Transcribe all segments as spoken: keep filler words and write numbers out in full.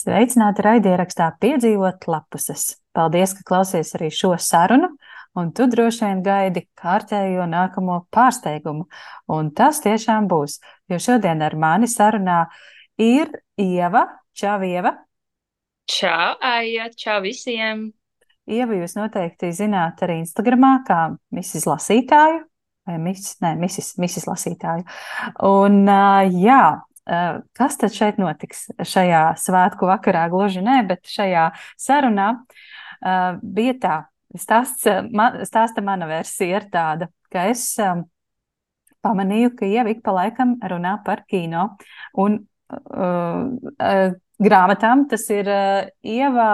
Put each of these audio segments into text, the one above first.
Sveicināti raidierakstā Piedzīvot lapuses. Paldies, ka klausies arī šo sarunu, un tu droši vien gaidi kārtējo nākamo pārsteigumu. Un tas tiešām būs, jo šodien ar mani sarunā ir Ieva. Čau, Ieva! Čau, Aija! Čau visiem! Ieva, jūs noteikti zināt arī Instagramā kā misis Lasītāju, vai misis, nē, misis, misis Lasītāju. Un jā, kas tad šeit notiks šajā svētku vakarā? Gluži nē, bet šajā sarunā uh, bija tā. Stāsts, man, stāsta mana versija ir tāda, ka es um, pamanīju, ka Ieva ik pa laikam runā par kino un uh, uh, grāmatām. Tas ir uh, Ieva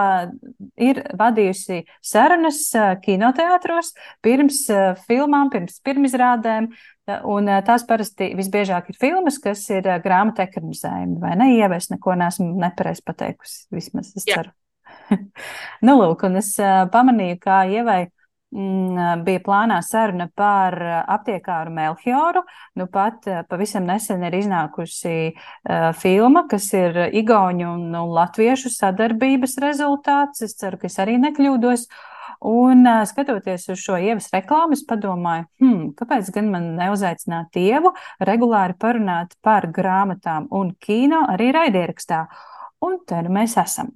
ir vadījusi sarunas uh, kinoteātros pirms uh, filmām, pirms pirmizrādēm. Un tās parasti visbiežāk ir filmas, kas ir grāmatu ekranizējumi, vai ne? Ieva, es neko neesmu nepareizi pateikusi, vismaz es ceru. Nu, lūk, un es pamanīju, kā Ievai mm, bija plānā saruna par aptiekāru Melhioru. Nu, pat pavisam nesen ir iznākusi uh, filma, kas ir igauņu un, un latviešu sadarbības rezultāts. Es ceru, ka es arī nekļūdos. Un skatoties uz šo Ievas reklāmu, es padomāju, hmm, kāpēc gan man neuzaicināt Ievu regulāri parunāt par grāmatām un kino arī raidierakstā. Un te nu mēs esam.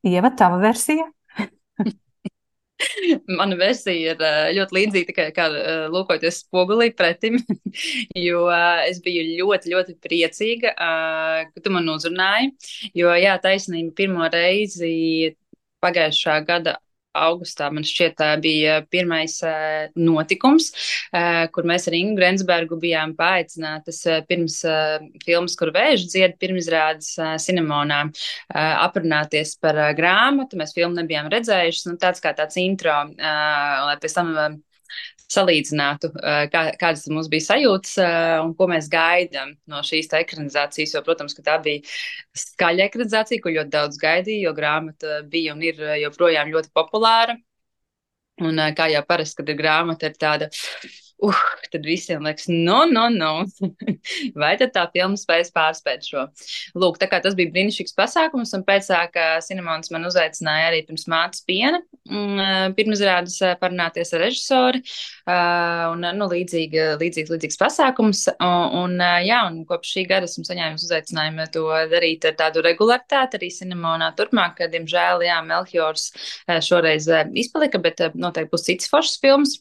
Ieva, tava versija? Mana versija ir ļoti līdzīga, tikai kā lūkoties spogulī pretim, jo es biju ļoti, ļoti priecīga, ka tu man uzrunāji, jo, jā, taisnība pirmo reizi pagājušā gada augustā, man šķiet, bija pirmais notikums, kur mēs ar Ingu Grensbergu bijām paaicinātas pirms filmas, kur vēži dzied, pirmizrādes Cinemonā, aprunāties par grāmatu. Mēs filmu nebijām redzējušas, nu, tāds kā tāds intro, lai pēc tam salīdzinātu, kā, kādas mums bija sajūtas un ko mēs gaidām no šīs ekranizācijas. Jo, protams, ka tā bija skaļa ekranizācija, ko ļoti daudz gaidīja, jo grāmata bija un ir joprojām ļoti populāra. Un kā jau parasti, kad ir grāmata, ir tāda, uh, tad visiem liekas, no, no, no. Vai tad tā filma spēs pārspēt šo? Lūk, tā kā tas bija brīnišķīgs pasākums, un pēc tā, ka Cinemons man uzaicināja arī pirms mātes piena, pirmizrādes parunāties ar režisori, un, nu, līdzīgi, līdzīgs, līdzīgs pasākums, un, jā, un kopš šī gada esmu saņēmis uzaicinājumu to darīt ar tādu regularitāti arī Cinemonā turpmāk, ka, diemžēl, jā, Melhiors šoreiz izpalika, bet noteikti būs cits foršas filmas.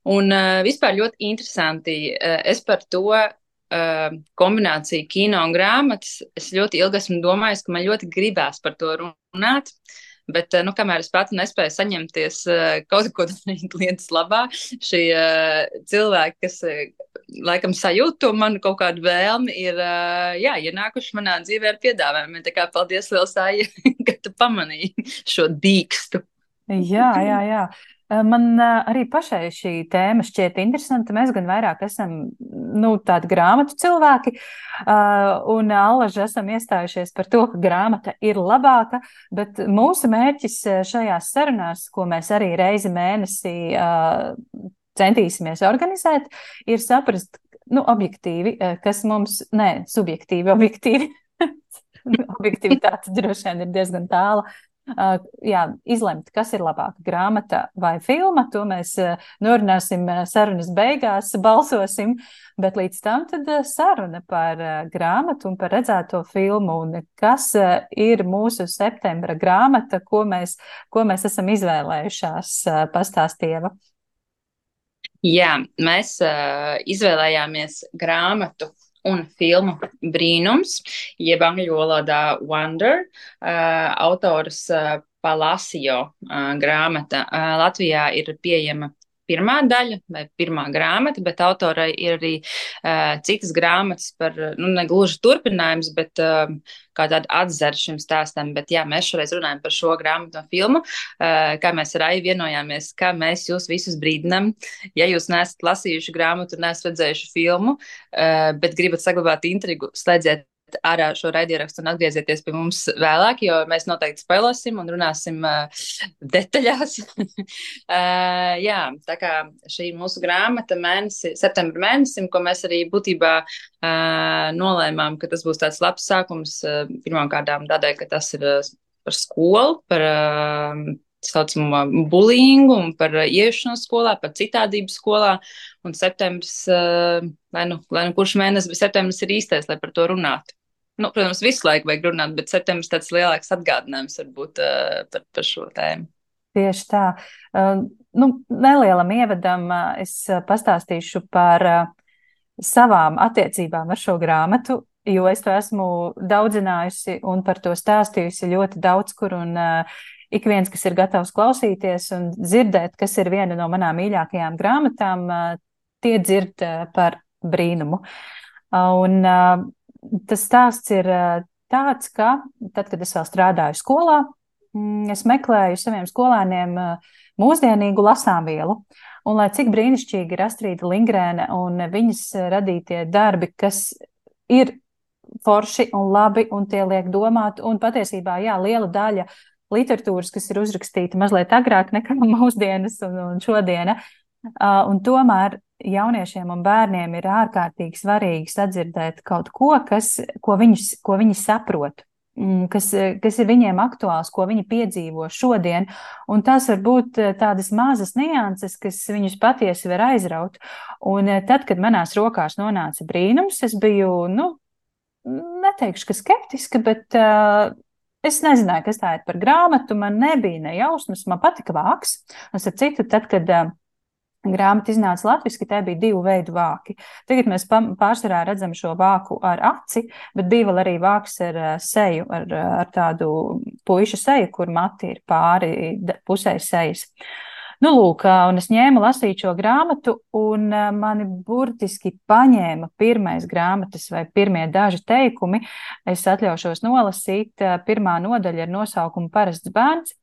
Un uh, vispār ļoti interesanti, uh, es par to uh, kombināciju kino un grāmatas, es ļoti ilgi esmu domājis, ka man ļoti gribās par to runāt, bet, uh, nu, kamēr es pati nespēju saņemties uh, kaut ko darīt lietas labā, šie uh, cilvēki, kas uh, laikam sajūt to manu kaut kādu vēlmi, ir, uh, jā, ienākuši manā dzīvē ar piedāvājumiem. Tā kā paldies liels, Aija, ka tu pamanīji šo dīkstu. Jā, jā, jā. Man arī pašai šī tēma šķiet interesanta. Mēs gan vairāk esam, nu, tādi grāmatu cilvēki, un allaži esam iestājušies par to, ka grāmata ir labāka, bet mūsu mērķis šajās sarunās, ko mēs arī reizi mēnesī centīsimies organizēt, ir saprast, nu, objektīvi, kas mums, nē, subjektīvi, objektīvi, objektivitāte droši vien ir diezgan tāla. Uh, jā, izlemt, kas ir labāka grāmata vai filma, to mēs uh, norunāsim uh, sarunas beigās, balsosim, bet līdz tam tad uh, saruna par uh, grāmatu un par redzēto filmu, un kas uh, ir mūsu septembra grāmata, ko mēs, ko mēs esam izvēlējušās, uh, pastāstieva. Jā, mēs uh, izvēlējāmies grāmatu un filmu Brīnums, jeb angļu valodā Wonder, uh, autors uh, Palacio uh, grāmata. Uh, Latvijā ir pieejama pirmā daļa vai pirmā grāmata, bet autorai ir arī uh, citas grāmatas par, nu, ne gluži turpinājums, bet uh, kā tāda atzara šim stāstam. Bet jā, mēs šoreiz runājam par šo grāmatu un filmu, uh, kā mēs ar Ai vienojāmies, ka mēs jūs visus brīdinam, ja jūs neesat lasījuši grāmatu un neesat redzējuši filmu, uh, bet gribat saglabāt intrigu, slēdziet ārā šo raidierakstu un atgriezieties pie mums vēlāk, jo mēs noteikti spēlosim un runāsim uh, detaļās. uh, jā, tā kā šī mūsu grāmata mēnesi, septembra mēnesim, ko mēs arī būtībā uh, nolēmām, ka tas būs tāds labs sākums uh, pirmām kārtām tādēļ, ka tas ir uh, par skolu, par uh, saucamo bulīngu un par uh, ieiešanos skolā, par citādību skolā. Un septembris, uh, lai, nu, lai nu kurš mēnesis, bet septembris ir īstais, lai par to runātu. Nu, protams, visu laiku vajag runāt, bet septembris tāds lielāks atgādinājums varbūt uh, par, par šo tēmu. Tieši tā. Uh, nu, nelielam ievadam uh, es pastāstīšu par uh, savām attiecībām ar šo grāmatu, jo es to esmu daudzinājusi un par to stāstījusi ļoti daudz kur, un uh, ik viens, kas ir gatavs klausīties un dzirdēt, kas ir viena no manām mīļākajām grāmatām, uh, tie dzird uh, par brīnumu. Uh, un uh, tas stāsts ir uh, tāds, ka tad, kad es vēl strādāju skolā, mm, es meklēju saviem skolēniem uh, mūsdienīgu lasāmvielu. Un lai cik brīnišķīgi ir Astrīda Lingrēne un viņas radītie darbi, kas ir forši un labi un tie liek domāt, un patiesībā, jā, liela daļa literatūras, kas ir uzrakstīta mazliet agrāk nekā mūsdienas un, un šodiena, uh, un tomēr jauniešiem un bērniem ir ārkārtīgi svarīgi sadzirdēt kaut ko, kas, ko, viņus, ko viņi saprot, kas, kas ir viņiem aktuāls, ko viņi piedzīvo šodien, un tas var būt tādas mazas nianses, kas viņus patiesi var aizraut. Un tad, kad manās rokās nonāca brīnums, es biju, nu, neteikšu, ka skeptiska, bet uh, es nezināju, kas tā ir par grāmatu, man nebija ne jausmas, man patika vāks, un ar citu, tad, kad uh, grāmata iznāca latviski, tā bija divu veidu vāki. Tagad mēs pārsvarā redzam šo vāku ar aci, bet bija vēl arī vāks ar seju, ar, ar tādu puišu seju, kur mati ir pāri pusē sejas. Nu, lūk, un es ņēmu lasīt šo grāmatu, un mani burtiski paņēma pirmais grāmatas vai pirmie daži teikumi. Es atļaušos nolasīt. Pirmā nodaļa ar nosaukumu Parasts bērns.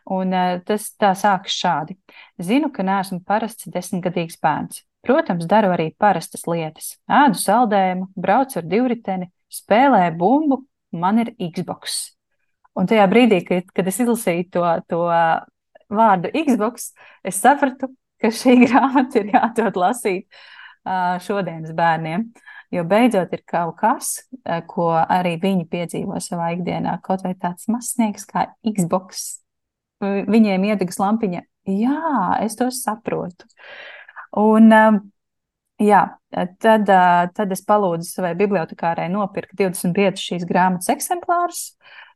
Un tas tā sākas šādi. Zinu, ka neesmu parasts desmitgadīgs bērns. Protams, daru arī parastas lietas. Ēdu saldējumu, braucu ar divriteni, spēlēju bumbu, man ir Xbox. Un tajā brīdī, kad, kad es izlasīju to, to vārdu Xbox, es sapratu, ka šī grāmata ir jādod lasīt šodienas bērniem. Jo beidzot ir kaut kas, ko arī viņi piedzīvo savā ikdienā, kaut vai tāds mazsniegs kā Xbox. Viņiem iedegas lampiņa, jā, es to saprotu. Un, jā, tad, tad es palūdzu savai bibliotekārai nopirkt divdesmit piecus šīs grāmatas eksemplārus.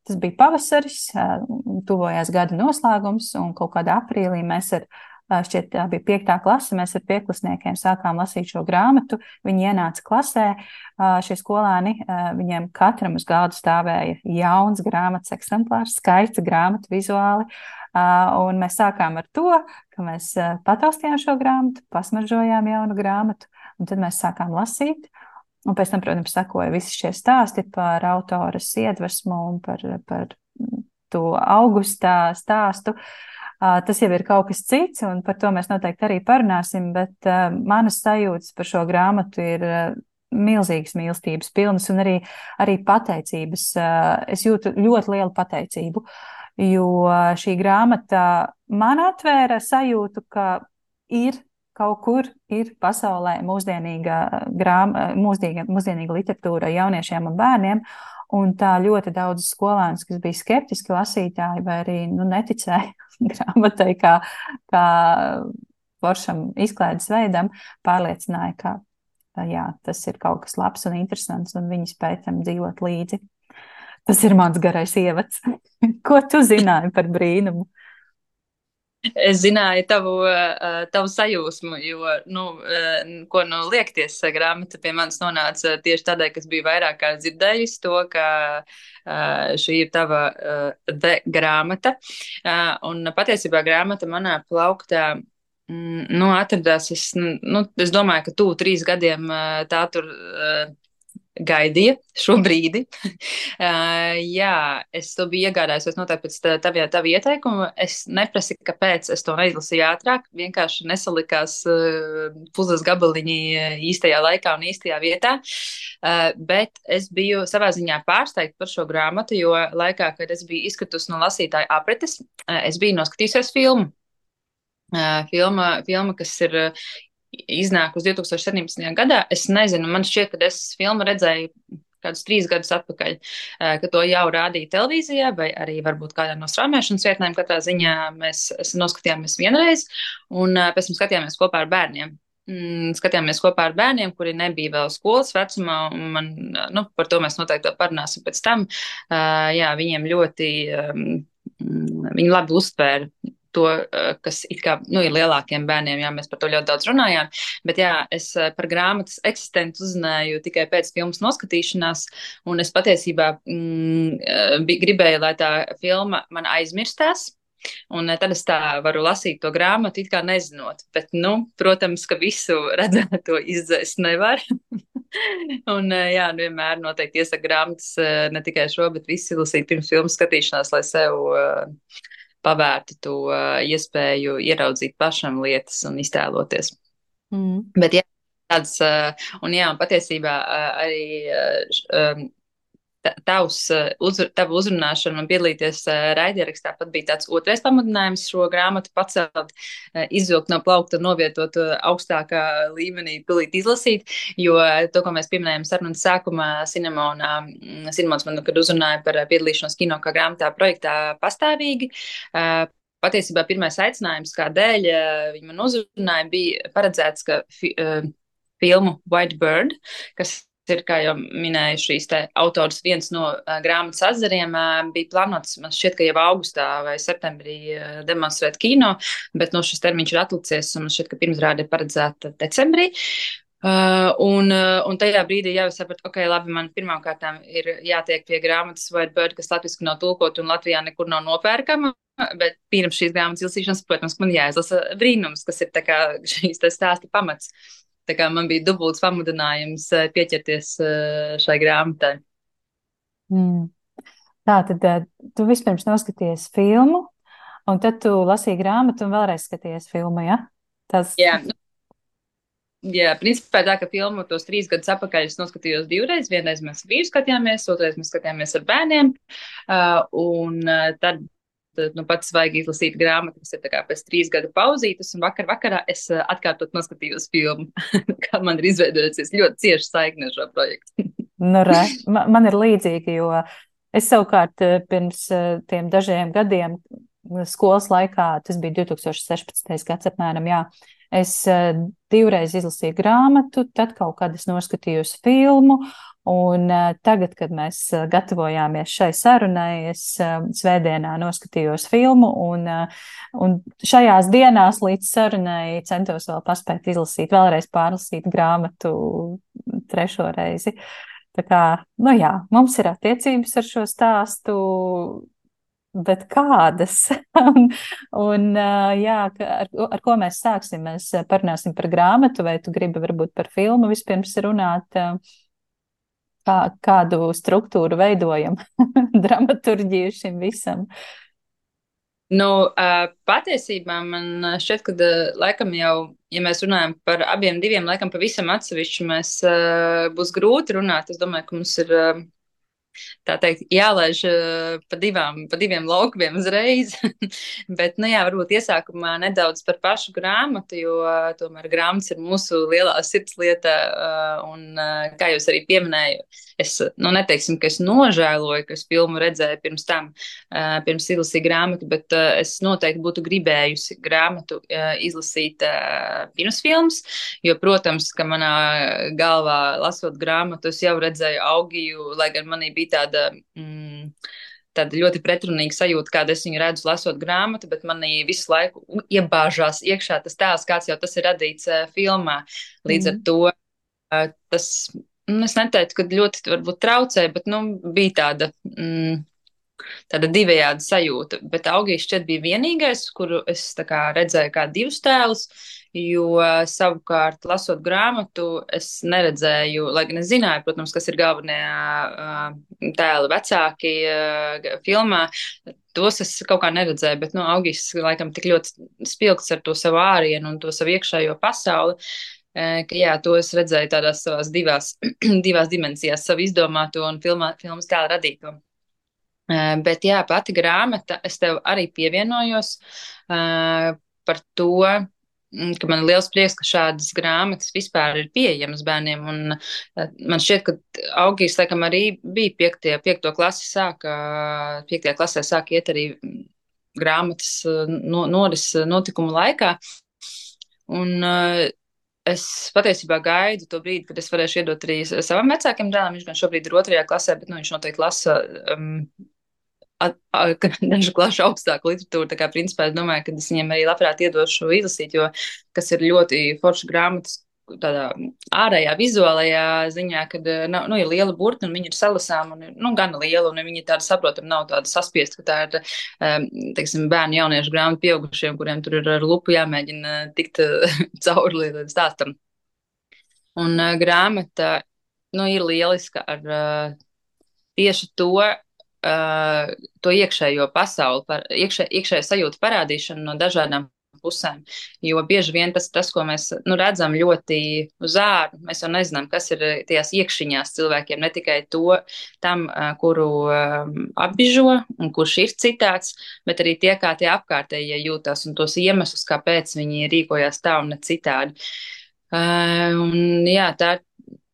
Tas bija pavasaris, tuvojās gada noslēgums, un kaut kādā aprīlī mēs ar, šķiet, tā bija piektā klase, mēs ar pieklasniekiem sākām lasīt šo grāmatu. Viņi ienāca klasē, šie skolēni, viņiem katram uz galda stāvēja jauns grāmatas eksemplārs, skaista grāmata vizuāli, un mēs sākām ar to, ka mēs pataustījām šo grāmatu, pasmaržojām jaunu grāmatu, un tad mēs sākām lasīt, un pēc tam, protams, sakoja visi šie stāsti par autoras iedvesmu un par, par to augustā stāstu. Tas jau ir kaut kas cits, un par to mēs noteikti arī parunāsim, bet uh, manas sajūtas par šo grāmatu ir uh, milzīgas mīlestības pilnas un arī, arī pateicības. Uh, es jūtu ļoti lielu pateicību, jo šī grāmata man atvēra sajūtu, ka ir kaut kur ir pasaulē mūsdienīga, grāma, mūsdienīga, mūsdienīga literatūra jauniešiem un bērniem, un tā ļoti daudz skolēnus, kas bija skeptiski lasītāji vai arī nu, neticēja grāmatai kā, kā foršam izklaides veidam, pārliecināja, ka jā, tas ir kaut kas labs un interesants, un viņi spēj tam dzīvot līdzi. Tas ir mans garais ievads. Ko tu zināji par brīnumu? Es zināju tavu, tavu sajūsmu, jo, nu, ko nu liekties, grāmata pie manis nonāca tieši tādēļ, kas bija vairāk kā dzirdējusi to, ka šī ir tava de grāmata. Un patiesībā grāmata manā plauktā, nu, atradās, es, nu, es domāju, ka tuvu trīs gadiem tā tur gaidīja šo brīdi. Uh, jā, es to biju iegādājusies noteikti pēc tā- tavie- tava ieteikuma. Es neprasīju, kāpēc es to neizlasīju ātrāk. Vienkārši nesalikās uh, puzles gabaliņi uh, īstajā laikā un īstajā vietā. Uh, bet es biju savā ziņā pārsteigta par šo grāmatu, jo laikā, kad es biju izkritusi no lasītāja apretes, uh, es biju noskatījusies filmu. Uh, filma, filma, kas ir uh, iznākusi divi tūkstoši septiņpadsmitajā gadā. Es nezinu, man šķiet, ka es filmu redzēju kādus trīs gadus atpakaļ, uh, ka to jau rādīja televīzijā, vai arī varbūt kādā no straumēšanas vietnēm. Katrā ziņā mēs noskatījāmies vienreiz, un uh, pēc tam skatījāmies kopā ar bērniem. Mm, skatījāmies kopā ar bērniem, kuri nebija vēl skolas vecumā, un man, uh, nu, par to mēs noteikti vēl parunāsim pēc tam. Uh, jā, viņiem ļoti, um, viņi labi uztvēra to, kas it kā, nu, ir lielākiem bērniem, jā, mēs par to ļoti daudz runājām, bet jā, es par grāmatas eksistenci uzzināju tikai pēc filmas noskatīšanās, un es patiesībā mm, gribēju, lai tā filma man aizmirstās, un tad es tā varu lasīt to grāmatu, it kā nezinot, bet, nu, protams, ka visu redzēto izdzēst nevar. Un, jā, vienmēr noteikti iesaku grāmatas ne tikai šo, bet visu lasīt pirms filmas skatīšanās, lai sev uh, pavērtu to uh, iespēju ieraudzīt pašam lietas un iztēloties. Mm. Bet jā, tāds, uh, un jā, un patiesībā uh, arī uh, um, tavs, uh, uzr, tava uzrunāšana un piedalīties uh, raidierakstā pat bija tāds otrais pamudinājums šo grāmatu pacelt, uh, izvilkt no plaukta un novietot uh, augstākā līmenī, pilīt izlasīt, jo uh, to, ko mēs pieminējām sarunas sākumā, Cinemona, um, Cinemons man, kad uzrunāja par uh, piedalīšanos kino kā grāmatā projektā pastāvīgi, uh, patiesībā pirmais aicinājums, kādēļ uh, viņi man uzrunāja, bija paredzēts, ka fi, uh, filmu White Bird, kas ir, kā jau minēju, šīs te autors viens no uh, grāmatas atzariem, uh, bija plānots, man šķiet, ka jau augustā vai septembrī uh, demonstrēt kino, bet no šis termiņš ir atlicies, un man šķiet, ka pirmsrāde ir paredzēta decembrī. Uh, un, uh, un tajā brīdī jau es sapratu, ok, labi, man pirmām kārtām ir jātiek pie grāmatas White Bird, kas latviski nav tulkot un Latvijā nekur nav nopērkama, bet pirms šīs grāmatas izlasīšanas, protams, man jāizlasa brīnums, kas ir tā kā šīs te stāsta pamats. Tā kā man bija dubults pamudinājums pieķerties šai grāmatai. Mm. Tā tad tu vispirms noskaties filmu, un tad tu lasīji grāmatu un vēlreiz skaties filmu, ja? Tas... Jā, nu, jā, principā tā, ka filmu tos trīs gadus atpakaļ es noskatījos divreiz. Vienreiz mēs ar vīru skatījāmies, otrreiz mēs skatījāmies ar bērniem, uh, un uh, tad nu, pats vajag izlasīt grāmatu, kas ir tā kā pēc trīs gadu pauzītes, un vakar vakarā es uh, atkārtot noskatījos filmu. Kā man ir izveidojusies ļoti cieši saikne ar šo projektu. Nu, re, man, man ir līdzīgi, jo es savukārt pirms tiem dažiem gadiem skolas laikā, tas bija divi tūkstoši sešpadsmitais gads apmēram, jā, es divreiz izlasīju grāmatu, tad kaut kad es noskatījos filmu, un tagad, kad mēs gatavojāmies šai sarunai, es svētdienā noskatījos filmu, un, un šajās dienās līdz sarunai centos vēl paspēt izlasīt, vēlreiz pārlasīt grāmatu trešo reizi. Tā kā, nu jā, mums ir attiecības ar šo stāstu, bet kādas? un, un jā, ar, ar ko mēs sāksim? Mēs parunāsim par grāmatu, vai tu gribi varbūt par filmu vispirms runāt? Kā, kādu struktūru veidojam, dramaturģiju šim visam? Nu, patiesībā man šķiet, ka laikam jau, ja mēs runājam par abiem diviem, laikam pavisam atsevišķi mēs būs grūti runāt. Es domāju, ka mums ir, tā teikt, jālaiž pa, divām, pa diviem laukumiem uzreiz. Bet, nu jā, varbūt iesākumā nedaudz par pašu grāmatu, jo tomēr grāmatas ir mūsu lielā sirdslieta. Un, kā jūs arī pieminēju, es, nu, neteiksim, ka es nožēloju, ka es filmu redzēju pirms tam, pirms izlasīju grāmatu, bet es noteikti būtu gribējusi grāmatu izlasīt pirms filmas, jo, protams, ka manā galvā lasot grāmatu, es jau redzēju Augiju, lai gan manī bija tāda, mm, tāda ļoti pretrunīga sajūta, kāda es viņu redzu lasot grāmatu, bet manī visu laiku iebāžās iekšā tas tēls, kāds jau tas ir radīts uh, filmā. Līdz mm. ar to uh, tas, nu, es neteiktu, ka ļoti varbūt traucēja, bet, nu, bija tāda, mm, tāda divējāda sajūta. Bet Augijs šķiet bija vienīgais, kuru es tā kā redzēju kā divus tēlus, jo savukārt, lasot grāmatu, es neredzēju, lai gan es zināju, protams, kas ir galvenie uh, tēli vecāki uh, filmā. Tos es kaut kā neredzēju, bet, nu, Augijs laikam tik ļoti spilgts ar to savu ārienu un to savu iekšējo pasauli, eh, ka, jā, to es redzēju tādās savās divās, divās dimensijās, savu izdomāto un filmā, filmas tēlu radīto. Eh, Bet, jā, pati grāmata, es tev arī pievienojos eh, par to, mm, ka man ir liels prieks, ka šādas grāmatas vispār ir pieejamas bērniem. Un eh, man šķiet, ka Augijs, laikam, arī bija piektie, piekto klasi sāka, piektajā klasē sāka iet arī mm, grāmatas eh, no, noris eh, notikumu laikā. Un eh, es patiesībā gaidu to brīdi, kad es varēšu iedot arī savam vecākam dēlam. Viņš gan šobrīd ir otrajā klasē, bet nu, viņš noteikti lasa um, at- a- ka dažu klašu augstāku literatūru. Tā kā, principā, es domāju, ka es viņiem arī labprāt iedošu izlasīt, jo kas ir ļoti forša grāmatas tādā ārējā, vizuālajā ziņā, kad eh, nav, nu, ir liela burta un viņi ir salasām un ir, nu, gana liela un viņi tāda saprotam, nav tāda saspiesta, ka tā ir, um, teiksim, bērnu jauniešu grāmata pieaugušiem, kuriem tur ir ar lupu jāmēģina tikt eh, cauri līdz stāstam. Un uh, grāmata, nu, ir lieliska ar uh, tieši to, uh, to iekšējo pasauli, par, iekšē, iekšējo sajūtu parādīšanu no dažādām pusēm. Jo bieži vien tas, tas ko mēs nu, redzam ļoti uz āru, mēs jau nezinām, kas ir tajās iekšiņās cilvēkiem, ne tikai to tam, uh, kuru um, apbižo un kurš ir citāds, bet arī tie, kā tie apkārtējie jūtas un tos iemeslus, kāpēc viņi rīkojās tā un ne citādi. Uh, un, jā, tā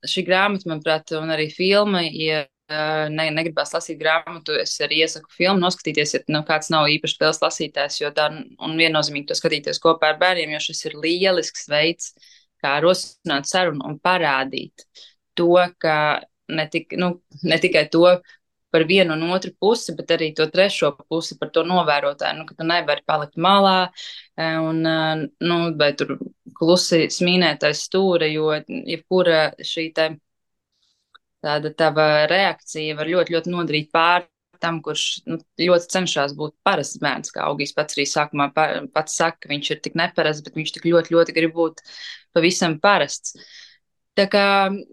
šī grāmata, manuprāt, un arī filma, ja uh, ne, negribās lasīt grāmatu, es arī iesaku filmu noskatīties, ja nu, kāds nav īpaši liels lasītājs, jo tā un viennozīmīgi to skatīties kopā ar bērniem, jo šis ir lielisks veids, kā rosināt sarunu un parādīt to, ka ne, tik, nu, ne tikai to par vienu un otru pusi, bet arī to trešo pusi par to novērotāju, nu, ka tu nevari palikt malā un, nu, vai tur klusi smīnētais stūra, jo jebkura šī te tāda tava reakcija var ļoti, ļoti nodarīt pāri tam, kurš nu, ļoti cenšas būt parasts bērns, kā Augijs pats arī sākumā pa, pats saka, ka viņš ir tik neparasts, bet viņš tik ļoti, ļoti grib būt pavisam parasts. Tā kā,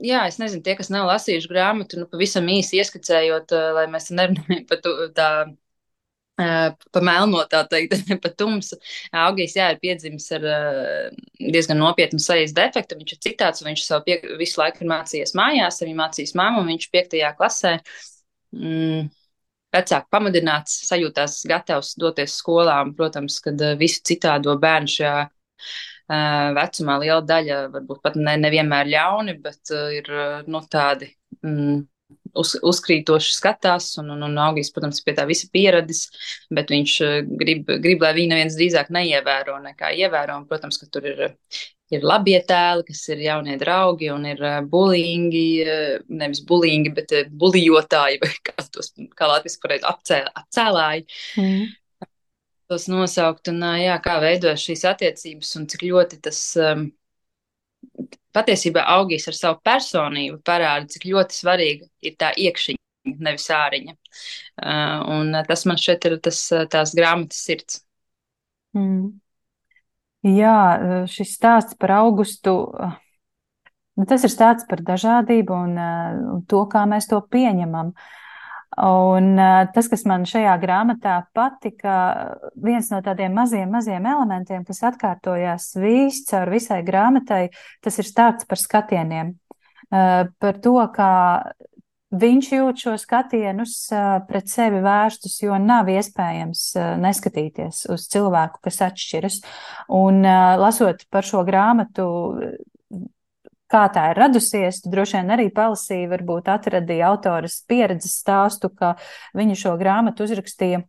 jā, es nezinu, tie, kas nav lasījuši grāmatu, nu, pavisam īsi ieskicējot, lai mēs nerunājam par tā, pa melno, tā teikt, pa tumsu. Augijs, jā, ir piedzimis ar diezgan nopietnu sejas defektu, viņš ir citāds, un viņš savu pie, visu laiku ir mācījies mājās, arī mācījis mammu, un viņš piektajā klasē mm, vecāki pamudināts, sajūtās gatavs doties skolā, un, protams, kad visu citādo bērnu šajā Uh, vecumā liela daļa varbūt pat ne, nevienmēr ļauni, bet uh, ir uh, nu, tādi mm, uz, uzkrītoši skatās, un, un, un Augijs, protams, pie tā visa pieradis, bet viņš uh, grib, grib, lai viņu neviens drīzāk neievēro nekā ievēro, un, protams, ka tur ir, ir labie tēli, kas ir jaunie draugi, un ir uh, bulingi, uh, nevis bulingi, bet uh, bulijotāji, vai kā tos, kā latviski pareizi apcē, apcēlāji. Mm. Tos nosaukt un jā, kā veidojas šīs attiecības un cik ļoti tas um, patiesībā Augijs ar savu personību parāda, cik ļoti svarīga ir tā iekšiņa, nevis āriņa. Uh, un tas man šeit ir tas, tās grāmatas sirds. Mm. Jā, šis stāsts par Augustu, tas ir stāsts par dažādību un, un to, kā mēs to pieņemam. Un tas, kas man šajā grāmatā patika, viens no tādiem maziem, maziem elementiem, kas atkārtojās viss caur visai grāmatai, tas ir stāsts par skatieniem. Par to, kā viņš jūt šo skatienus pret sevi vērstus, jo nav iespējams neskatīties uz cilvēku, kas atšķiras. Un lasot par šo grāmatu, kā tā ir radusies, tu droši vien arī palasīji, varbūt atradīja autoras pieredzes stāstu, ka viņa šo grāmatu uzrakstīja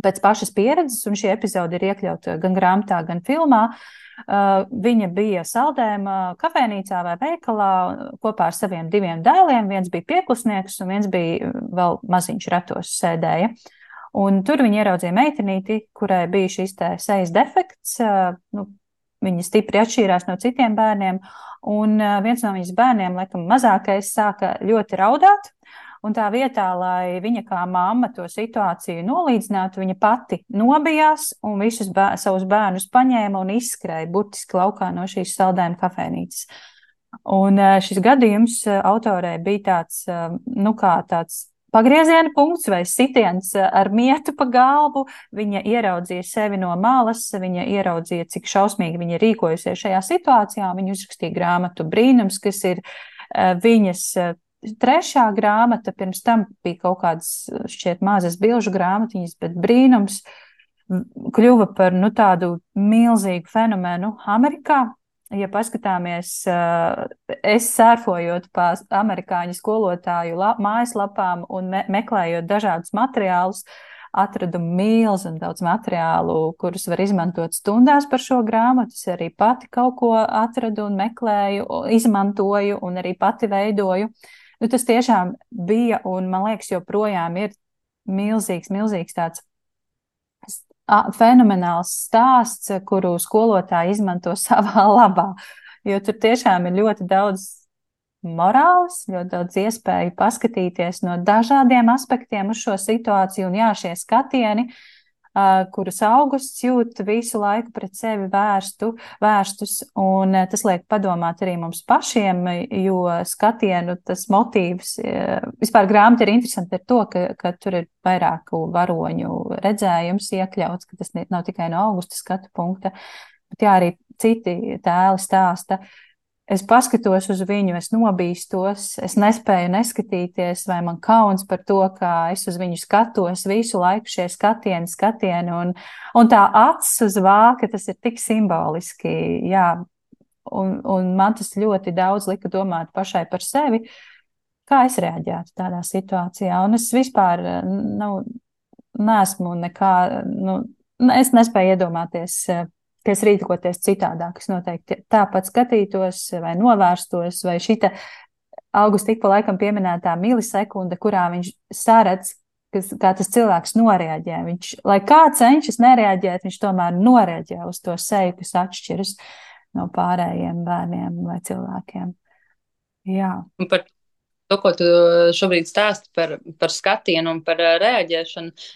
pēc pašas pieredzes, un šī epizode ir iekļauta gan grāmatā, gan filmā. Uh, viņa bija saldējuma kafejnīcā vai veikalā kopā ar saviem diviem dēliem. Viens bija pieklusnieks, un viens bija vēl maziņš ratos sēdēja. Un tur viņa ieraudzīja meitenīti, kurai bija šis te sejas defekts, uh, nu, viņa stipri atšķīrās no citiem bērniem, un viens no viņas bērniem, laikam mazākais, sāka ļoti raudāt, un tā vietā, lai viņa kā mamma to situāciju nolīdzinātu, viņa pati nobijās un visus bēr, savus bērnus paņēma un izskrēja burtiski laukā no šīs saldējuma kafejnīcas. Un šis gadījums autorē bija tāds, nu kā tāds pagrieziena punkts vai sitiens ar mietu pa galvu. Viņa ieraudzīja sevi no malas, viņa ieraudzīja, cik šausmīgi viņa rīkojusies šajā situācijā. Viņa uzrakstīja grāmatu Brīnums, kas ir viņas trešā grāmata. Pirms tam bija kaut kādas šķiet mazas bilžu grāmatiņas, bet Brīnums kļuva par nu, tādu milzīgu fenomenu Amerikā. Ja paskatāmies, es sērfojot pa amerikāņu skolotāju mājaslapām un me meklējot dažādus materiālus, atradu milzu un daudz materiālu, kurus var izmantot stundās par šo grāmatu. Es arī pati kaut ko atradu un meklēju, izmantoju un arī pati veidoju. Nu, tas tiešām bija un, man liekas, joprojām ir milzīgs, milzīgs tāds fenomenāls stāsts, kuru skolotāji izmanto savā labā, jo tur tiešām ir ļoti daudz morāles, ļoti daudz iespēju paskatīties no dažādiem aspektiem uz šo situāciju, un jā, šie skatieni, kurus Augusts jūt visu laiku pret sevi vērstu, vērstus, un tas liek padomāt arī mums pašiem, jo skatienu tas motīvs, vispār grāmata ir interesanti ar to, ka, ka tur ir vairāku varoņu redzējums iekļauts, ka tas nav tikai no Augusta skatu punkta, bet jā, arī citi tēli stāsta. Es paskatos uz viņu, es nobīstos, es nespēju neskatīties, vai man kauns par to, kā es uz viņu skatos visu laiku šie skatieni, skatieni, un, un tā acis uz vāka, tas ir tik simboliski, jā, un, un man tas ļoti daudz lika domāt pašai par sevi, kā es reaģētu tādā situācijā, un es vispār, nu, neesmu nekā, nu, es nespēju iedomāties, ka es rīkoties citādāk, es noteikti tāpat skatītos vai novērstos, vai šita Augusta ik pa laikam pieminētā milisekunda, kurā viņš saredz, kas, kā tas cilvēks noreaģē. Viņš, lai kā cenšas nereaģēt, viņš tomēr noreaģē uz to seju, kas atšķiras no pārējiem bērniem vai cilvēkiem. Jā. Un par to, ko tu šobrīd stāsti par, par skatienu un par reaģēšanu,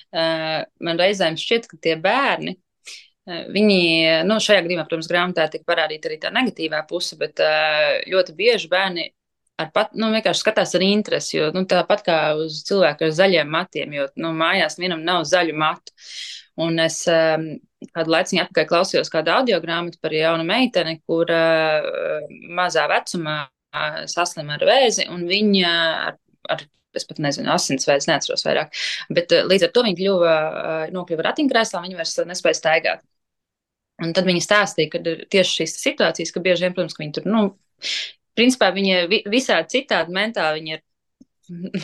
man reizēm šķiet, ka tie bērni, viņi, nu, šajā gadījumā, protams, grāmatā tika parādīta arī tā negatīvā puse, bet ļoti bieži bērni ar pat, nu, vienkārši skatās ar interesi, jo, nu, tāpat kā uz cilvēku ar zaļiem matiem, jo, nu, mājās vienam nav zaļu matu. Un es kādu laiciņu atpakaļ klausījos kādu audiogrāmatu par jaunu meiteni, kur mazā vecumā saslim ar vēzi, un viņa ar, ar es pat nezinu, asinsvēs, neatceros vairāk, bet līdz ar to viņa kļuva, nokļuva ratiņkrēslā, viņa vairs nespēja staigāt. Un tad viņa stāstīja, ka ir tieši šīs situācijas, ka bieži vien, protams, ka viņi tur, nu, principā viņa visādi citādi mentāli, viņa ir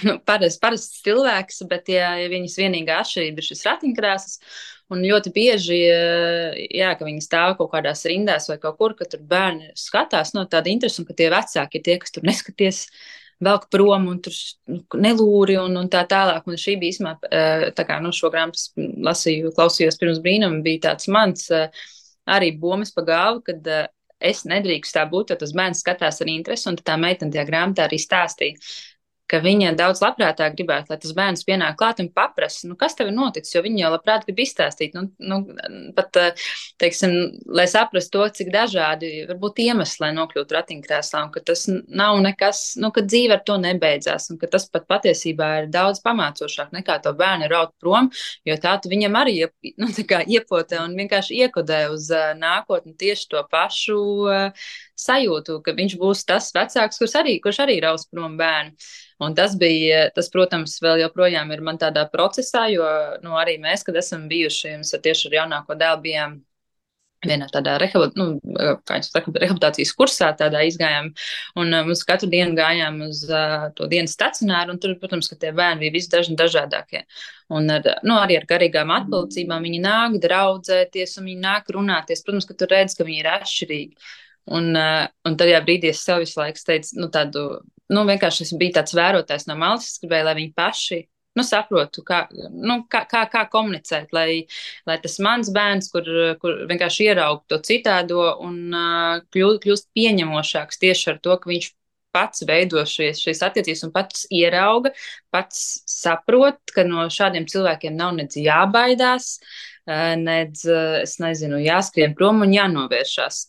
nu, parasts, parasts cilvēks, bet ja, ja viņas vienīgā atšķirība ir šis ratiņkrēsls, un ļoti bieži, jā, ka viņi stāv kaut kādās rindās vai kaut kur, ka tur bērni skatās, no tāda interesa, un ka tie vecāki ir tie, kas tur neskaties, velk prom un tur nelūri un, un tā tālāk. Un šī bija īsmā, tā kā, nu, šo grāmatas lasīju, klausījos pirms brīnuma, bija tāds mans arī bomas pa galvu, kad es nedrīkst tā būt, jo tas bērns skatās ar interesi, un tā meitene tajā grāmatā arī stāstīja, ka viņa daudz labprātāk gribētu, lai tas bērns pienāk klāt un paprasa, nu, kas tev ir noticis, jo viņa jau labprāt grib izstāstīt, nu, nu, pat, teiksim, lai saprastu to, cik dažādi varbūt iemesli, lai nokļūtu ratiņkrēslā, un ka tas nav nekas, nu, ka dzīve ar to nebeidzās, un ka tas pat patiesībā ir daudz pamācošāk nekā to bērnu raut prom, jo tā tu viņam arī, nu, tā kā iepotē un vienkārši iekodē uz uh, nākotni tieši to pašu uh, sajūtu, ka viņš būs tas vecāks, kurš arī, kurš arī raus prom bērnu. Un tas bija, tas, protams, vēl joprojām ir man tādā procesā, jo, nu, arī mēs, kad esam bijuši, mēs tieši ar jaunāko dēlu bijām vienā tādā nu, rehabilitācijas kursā, tādā izgājām, un mums katru dienu gājām uz uh, to dienas stacionāru, un tur, protams, ka tie bērni bija visi dažni dažādākie. Un ar, nu, arī ar garīgām atpalicībām viņi nāk draudzēties, un viņi nāk runāties. Protams, ka tu redz, ka viņi ir atšķirīgi. Un, uh, un tajā brīdī es sev visu laiku teicu, nu, tādu, nu, vienkārši es biju tāds vērotājs no malas, es gribēju, lai viņi paši, nu, saprotu, kā, nu, kā, kā, kā komunicēt, lai, lai tas mans bērns, kur, kur vienkārši ieraug to citādo un uh, kļūst, kļūst pieņemošāks tieši ar to, ka viņš pats veido šīs, šīs attiecības un pats ierauga, pats saprot, ka no šādiem cilvēkiem nav nedz jābaidās, nedz, es nezinu, jāskrien prom un jānovēršās.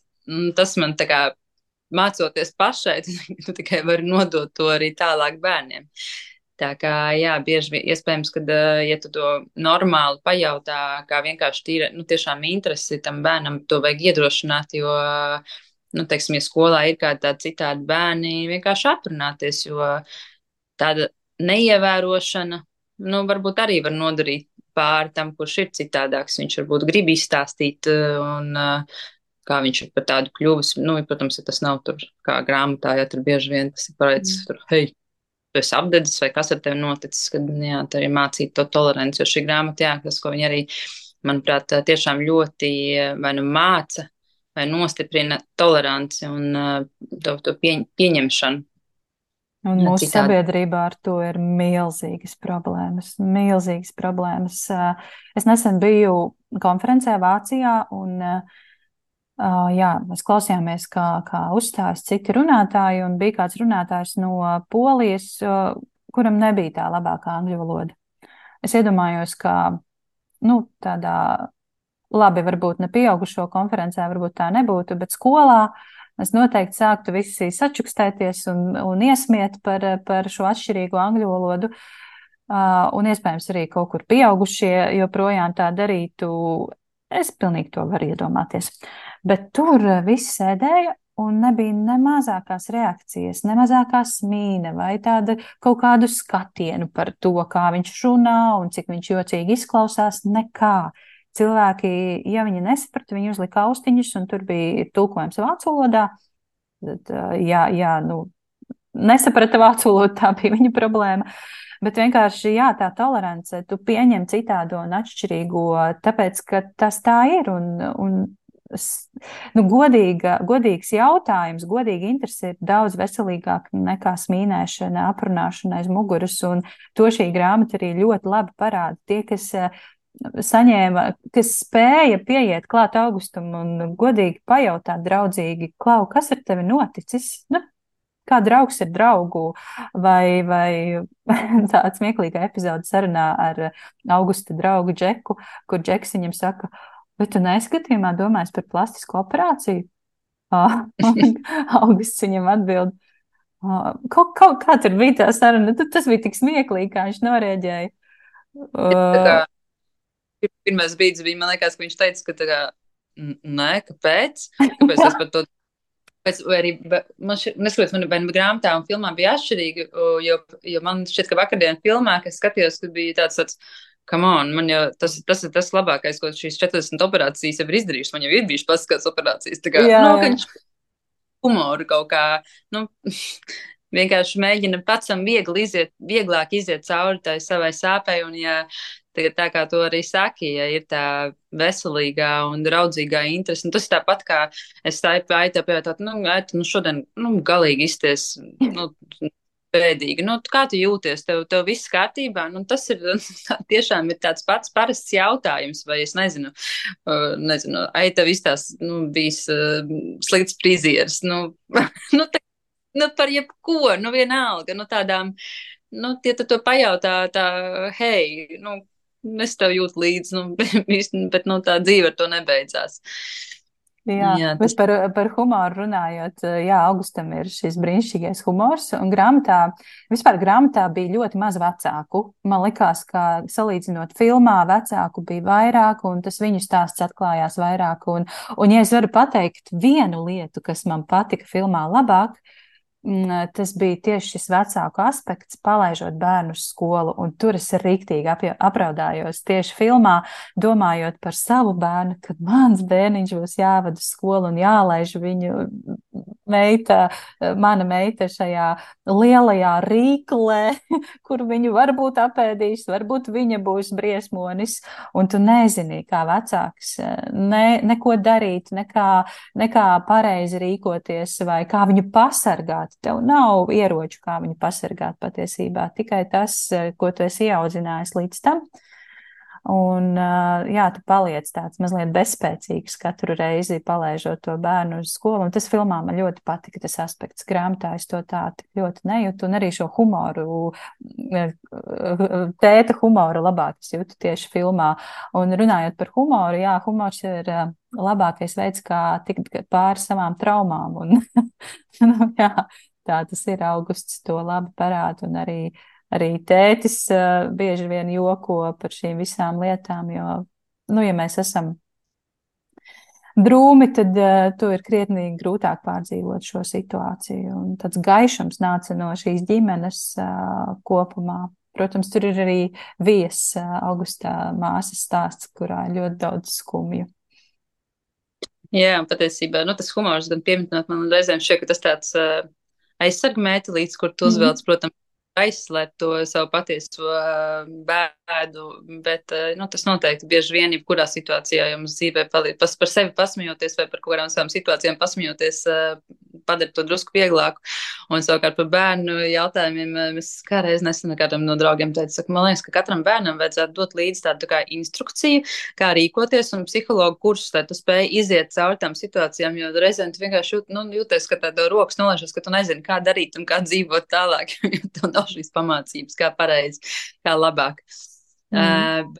Tas man tā kā mācoties pašai, tu tikai vari nodot to arī tālāk bērniem. Tā kā, jā, bieži vien iespējams, ka, ja tu to normāli pajautā, kā vienkārši tīra, nu, tiešām interesi tam bērnam, to vajag iedrošināt, jo, nu, teiksim, ja skolā ir kādi tādi citādi bērni, vienkārši aprunāties, jo tāda neievērošana, nu, varbūt arī var nodarīt pāri tam, kurš ir citādāks. Viņš varbūt grib izstāstīt un kā viņš ir par tādu kļuvis. Nu, protams, ja tas nav tur kā grāmatā, ja tur bieži vien tas ir parādīts, tur, hei, tu esi apdedzis vai kas ar tevi noticis, kad, jā, tā arī mācīt to toleranci, jo šī grāmata, jā, tas, ko viņi arī, manuprāt, tiešām ļoti vai nu māca, vai nostiprina toleranci un to, to pieņ, pieņemšanu. Un mūsu citādi. Sabiedrībā ar to ir milzīgas problēmas, milzīgas problēmas. Es nesen biju konferencē Vācijā un Uh, jā, mēs klausījāmies, kā, kā uzstājas citi runātāji, un bija kāds runātājs no Polijas, uh, kuram nebija tā labākā angļu valoda. Es iedomājos, ka, nu, tādā, labi, varbūt ne pieaugušo konferencē, varbūt tā nebūtu, bet skolā mēs noteikti sāktu visi sačukstēties un, un iesmiet par, par šo atšķirīgo angļu valodu, uh, un iespējams arī kaut kur pieaugušie joprojām tā darītu. Es pilnīgi to varu iedomāties. Bet tur viss sēdēja un nebija ne mazākās reakcijas, ne mazākā smīna vai tāda kaut kādu skatienu par to, kā viņš runā un cik viņš jocīgi izklausās, nekā. Cilvēki, ja viņi nesaprata, viņi uzlika austiņus un tur bija tulkojums vācu valodā. Tad, jā, jā, nu, nesaprata vācu valodu, tā bija viņa problēma. Bet vienkārši, jā, tā tolerance, tu pieņem citādo un atšķirīgo, tāpēc, ka tas tā ir. Un, un nu, godīga, godīgs jautājums, godīga interese ir daudz veselīgāk nekā smīnēšana, aprunāšana aiz muguras. Un to šī grāmata arī ļoti labi parāda. Tie, kas saņēma, kas spēja pieiet klāt Augustam un godīgi pajautāt draudzīgi, Klau, kas ar tevi noticis? Nu, kā draugs ir draugu, vai, vai tāds smieklīga epizode sarunā ar Augusta draugu Džeku, kur Džeks viņam saka, vai tu neizskatījumā domājis par plastisku operāciju? Augusts viņam atbild, kaut, kaut kā tur bija tā saruna, tas bija tik smieklīgi, kā viņš norēģēja. Tā kā pirmais brīdis bija, man liekas, ka viņš teica, ka tā kā, nē, kāpēc? Kāpēc es par to Vai arī, man šķiet, neskatoties, man vai grāmatā un filmā bija atšķirīgi, jo, jo man šķiet, ka vakardien filmā, kas skatījos, kad bija tāds, tāds, come on, man jau tas, tas ir tas labākais, ko šīs četrdesmit operācijas jau ir izdarījušas, man jau ir bijušas plastiskās operācijas, tā kā, jā, nu, ka viņš humoru kaut kā, nu, vienkārši mēģina pacam viegli iziet, vieglāk iziet cauri tai savai sāpei, un ja tagad tā kā to arī saki, ja ir tā veselīgā un draudzīgā interese, un tas ir tāpat kā es tāju aitā pajautāt, nu, aita, nu, šodien, nu, galīgi izties, nu, bēdīgi, nu, kā tu jūties, tev, tev viss kārtībā, nu, tas ir, tiešām ir tāds pats parasts jautājums, vai es nezinu, uh, nezinu, aita viss tās, nu, bijis uh, slikts prizieris, nu, nu, tā, nu, par jebko, nu, vienalga, nu, tādām, nu, tie tu to pajautā, tā, hei, nu, es tev jūtu līdzi, nu, bet, nu, tā dzīve ar to nebeidzās. Jā, jā tas... bet par, par humoru runājot, jā, Augustam ir šis brīnišķīgais humors, un grāmatā, vispār grāmatā bija ļoti maz vecāku. Man likās, ka salīdzinot filmā, vecāku bija vairāk, un tas viņu stāsts atklājās vairāk. Un, un ja es varu pateikt vienu lietu, kas man patika filmā labāk, tas bija tieši šis vecāku aspekts, palaižot bērnu uz skolu, un tur es riktīgi apraudājos tieši filmā, domājot par savu bērnu, kad mans bērniņš būs jāvada uz skolu un jālaiž viņu meita, mana meita šajā lielajā rīklē, kur viņu varbūt apēdīs, varbūt viņa būs briesmonis, un tu nezini, kā vecāks, ne, neko darīt, nekā, nekā pareizi rīkoties, vai kā viņu pasargāt. Tev nav ieroču, kā viņu pasargāt patiesībā, tikai tas, ko tu esi ieaudzinājis līdz tam. Un, jā, tu paliec tāds mazliet bezspēcīgs katru reizi palaižot to bērnu uz skolu. Un tas filmā man ļoti patika, tas aspekts. Grāmatā es to tā tik ļoti nejūtu. Un arī šo humoru, tēta humoru labāk es jūtu tieši filmā. Un runājot par humoru, jā, humors ir labākais veids, kā tikt pāri savām traumām. Un, nu, jā, tā tas ir. Augusts to labi parāda. Un arī Arī tētis uh, bieži vien joko par šīm visām lietām, jo, nu, ja mēs esam drūmi, tad uh, to ir krietni grūtāk pārdzīvot šo situāciju. Un tāds gaišums nāca no šīs ģimenes uh, kopumā. Protams, tur ir arī Vijas uh, Augustā māsas stāsts, kurā ir ļoti daudz skumju. Jā, patiesībā, nu, tas humors gan pieminot, man reizēm šķiet, ka tas tāds uh, aizsargmētelīts, kur tu uzvelc, mm. protams, aizslēpt to savu patieso bēdu, bet nu, tas noteikti bieži vien, jebkurā situācijā jums dzīvē palīdz. Pas, par sevi pasmījoties vai par kaut kādām savām situācijām pasmījoties, padara to drusku vieglāku. Un savukārt par bērnu jautājumiem mēs kādreiz nesen kādam no draugiem teicu, saka, man liekas, ka katram bērnam vajadzētu dot līdzi tādu tā kā instrukciju, kā rīkoties un psihologu kursus, lai tu spēj iziet cauri tām situācijām, jo reizēm tu vienkārši jūt, nu, jūties, ka tāda rokas nolaižas, ka tu nezini, kā darīt un kā dzīvot tālāk, jo tu nav šīs pamācības, kā pareizi, kā labāk. Mm.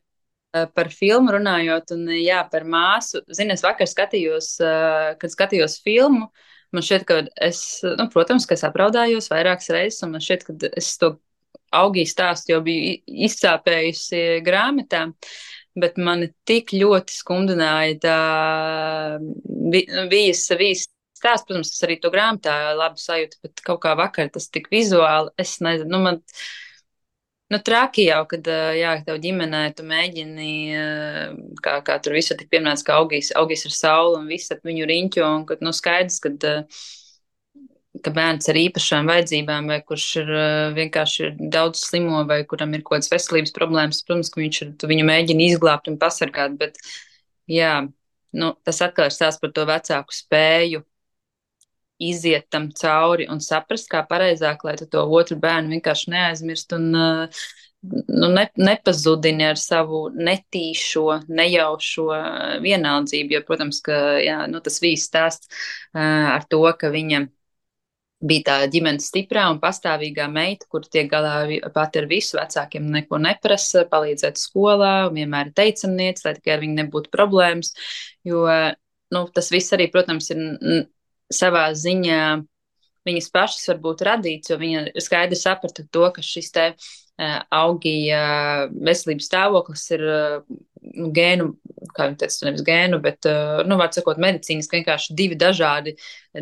Uh, par filmu runājot un jā, par māsu, zini, es vakar skatījos, uh, kad skatījos filmu, man šķiet, ka es, nu, protams, ka es apraudājos vairākas reizes, un man šķiet, ka es to Augijas stāstu jau biju izsāpējusi grāmatā, bet mani tik ļoti skumdināja tā Vijas, Vijas stāsts, protams, tas arī to grāmatā labi sajūta, bet kaut kā vakar tas tik vizuāli, es nezinu, nu, man, nu, traki jau, kad, jā, tev ģimenē tu mēģini, kā, kā tur visu tik pieminēts, ka Augijas, Augijas ir saula un viss ap viņu riņķo, un, kad, nu, skaidrs, kad, ka bērns ar īpašām vajadzībām, vai kurš ir vienkārši ir daudz slimo, vai kuram ir kaut kādas veselības problēmas, protams, ka viņš ir, tu viņu mēģini izglābt un pasargāt, bet, jā, nu, tas atkal ir stāsts par to vecāku spēju iziet tam cauri un saprast, kā pareizāk, lai tu to otru bērnu vienkārši neaizmirst un nu, ne, nepazudini ar savu netīšo, nejaušo vienaldzību, jo, protams, ka, jā, nu, tas viss stāsts ar to, ka viņa bija tā ģimenes stiprā un pastāvīgā meita, kur tiek galā pat ar visu, vecākiem neko neprasa, palīdzēt skolā, vienmēr ir teicamniece, lai tikai ar viņu nebūtu problēmas, jo, nu, tas viss arī, protams, ir savā ziņā viņas pašas varbūt radīts, jo viņa skaidri saprata to, ka šis te uh, Augija veselības stāvoklis ir uh, gēnu, kā viņi teica, nevis gēnu, bet, uh, nu, var sakot, medicīniski vienkārši divi dažādi,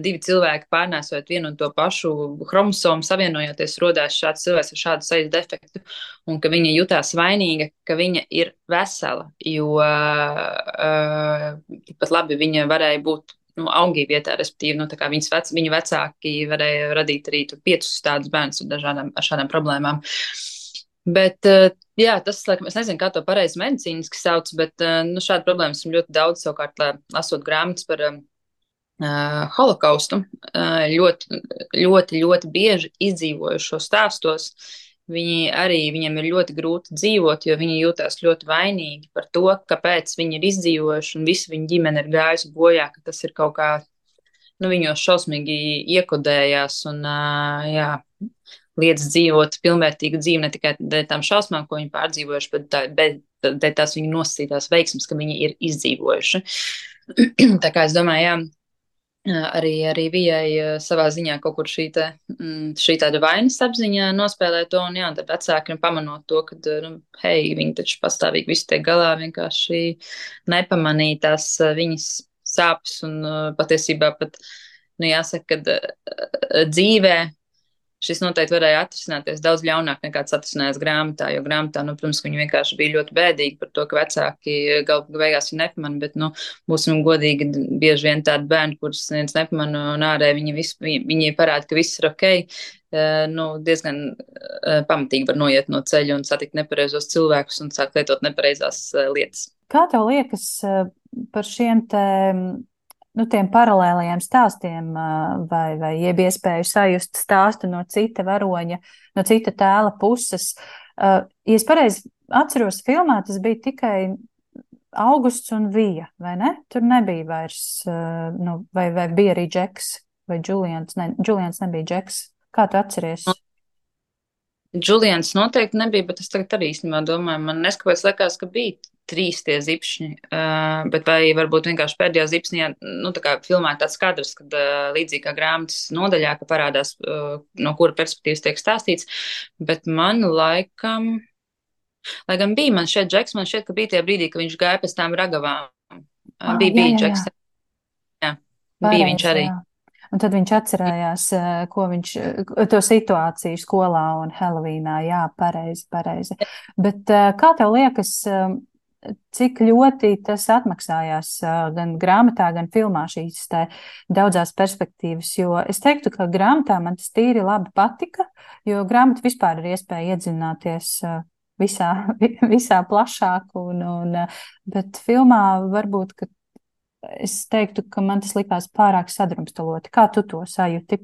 divi cilvēki pārnēsojot vienu un to pašu chromosomu, savienojoties, rodās šāds cilvēks ar šādu sejas defektu, un ka viņa jutās vainīga, ka viņa ir vesela, jo uh, pat labi viņa varēja būt nu, Augija vietā, respektīvi, nu, tā kā viņas vec, viņa vecāki varēja radīt arī tur piecus tādus bērnus ar dažādām, ar šādām problēmām. Bet, jā, tas, laikam, es nezinu, kā to pareizi medicīniski sauc, bet, nu, šāda problēma esmu ļoti daudz, savukārt, lasot grāmatas par uh, holokaustu, uh, ļoti, ļoti, ļoti bieži izdzīvojušo stāstos. Viņi arī, viņiem ir ļoti grūti dzīvot, jo viņi jūtās ļoti vainīgi par to, kāpēc viņi ir izdzīvojuši un visa viņa ģimene ir gājusi bojā, ka tas ir kaut kā, nu, viņos šausmīgi iekodējās un, jā, liedz dzīvot pilnvērtīgu dzīvi ne tikai dēļ tām šausmām, ko viņi pārdzīvojuši, bet dēļ tās viņu nosacītās veiksmes, ka viņi ir izdzīvojuši. Tā kā es domāju, jā, Arī, arī Vijai savā ziņā kaut kur šī, te, šī tāda vainas apziņā nospēlē to, un jā, tad vecākiem pamanot to, ka, nu, hei, viņi taču pastāvīgi visu tiek galā, vienkārši nepamanīja tās viņas sāpes, un patiesībā pat, nu, jāsaka, ka dzīvē šis noteikti varēja atrisināties daudz ļaunāk nekā tas atrisinājās grāmatā, jo grāmatā, nu, protams, viņi vienkārši bija ļoti bēdīgi par to, ka vecāki galu beigās viņu nepamana, bet, nu, būsim godīgi, bieži vien tādi bērni, kurus neviens nepamana, un ārē viņi, visu, viņi parāda, ka viss ir ok, nu, diezgan pamatīgi var noiet no ceļa un satikt nepareizos cilvēkus un sākt lietot nepareizās lietas. Kā tev liekas par šiem te nu, tiem paralēlajiem stāstiem vai, vai jeb iespēju sajust stāstu no cita varoņa, no cita tēla puses? Ja es pareizi atceros, filmā tas bija tikai Augusts un Vija, vai ne? Tur nebija vairs, uh, nu, vai, vai bija arī Džeks, vai Džulians, ne, Džulians nebija Džeks. Kā tu atceries? Džulians noteikti nebija, bet es tagad arī īstenībā domāju, man neskapēc likās, ka bija trīs tie zipšņi, uh, bet vai varbūt vienkārši pēdējā zipsnī, nu, tā kā filmā tāds kadrs, kad uh, līdzīgi kā grāmatas nodaļā, ka parādās, uh, no kura perspektīvas tiek stāstīts, bet man laikam, lai gan bija man šeit Džeks, man šķiet, ka bija tie brīdī, ka viņš gāja pēc tām ragavām. Uh, Ah, bija, jā, bija jā, jā. Džeks, jā, bija viņš Pareizi, arī. jā. Un tad viņš atcerējās, eh, ko viņš, eh, to situāciju skolā un Helovīnā. Jā, pareizi, pareizi. Bet eh, kā tev liekas, eh, cik ļoti tas atmaksājās eh, gan grāmatā, gan filmā šīs te daudzās perspektīvas? Jo es teiktu, ka grāmatā man tas tīri labi patika, jo grāmata vispār ir iespēja iedzināties eh, visā, visā plašāk, un, un, eh, bet filmā varbūt, ka es teiktu, ka man tas likās pārāk sadrumstaloti. Kā tu to sajūti?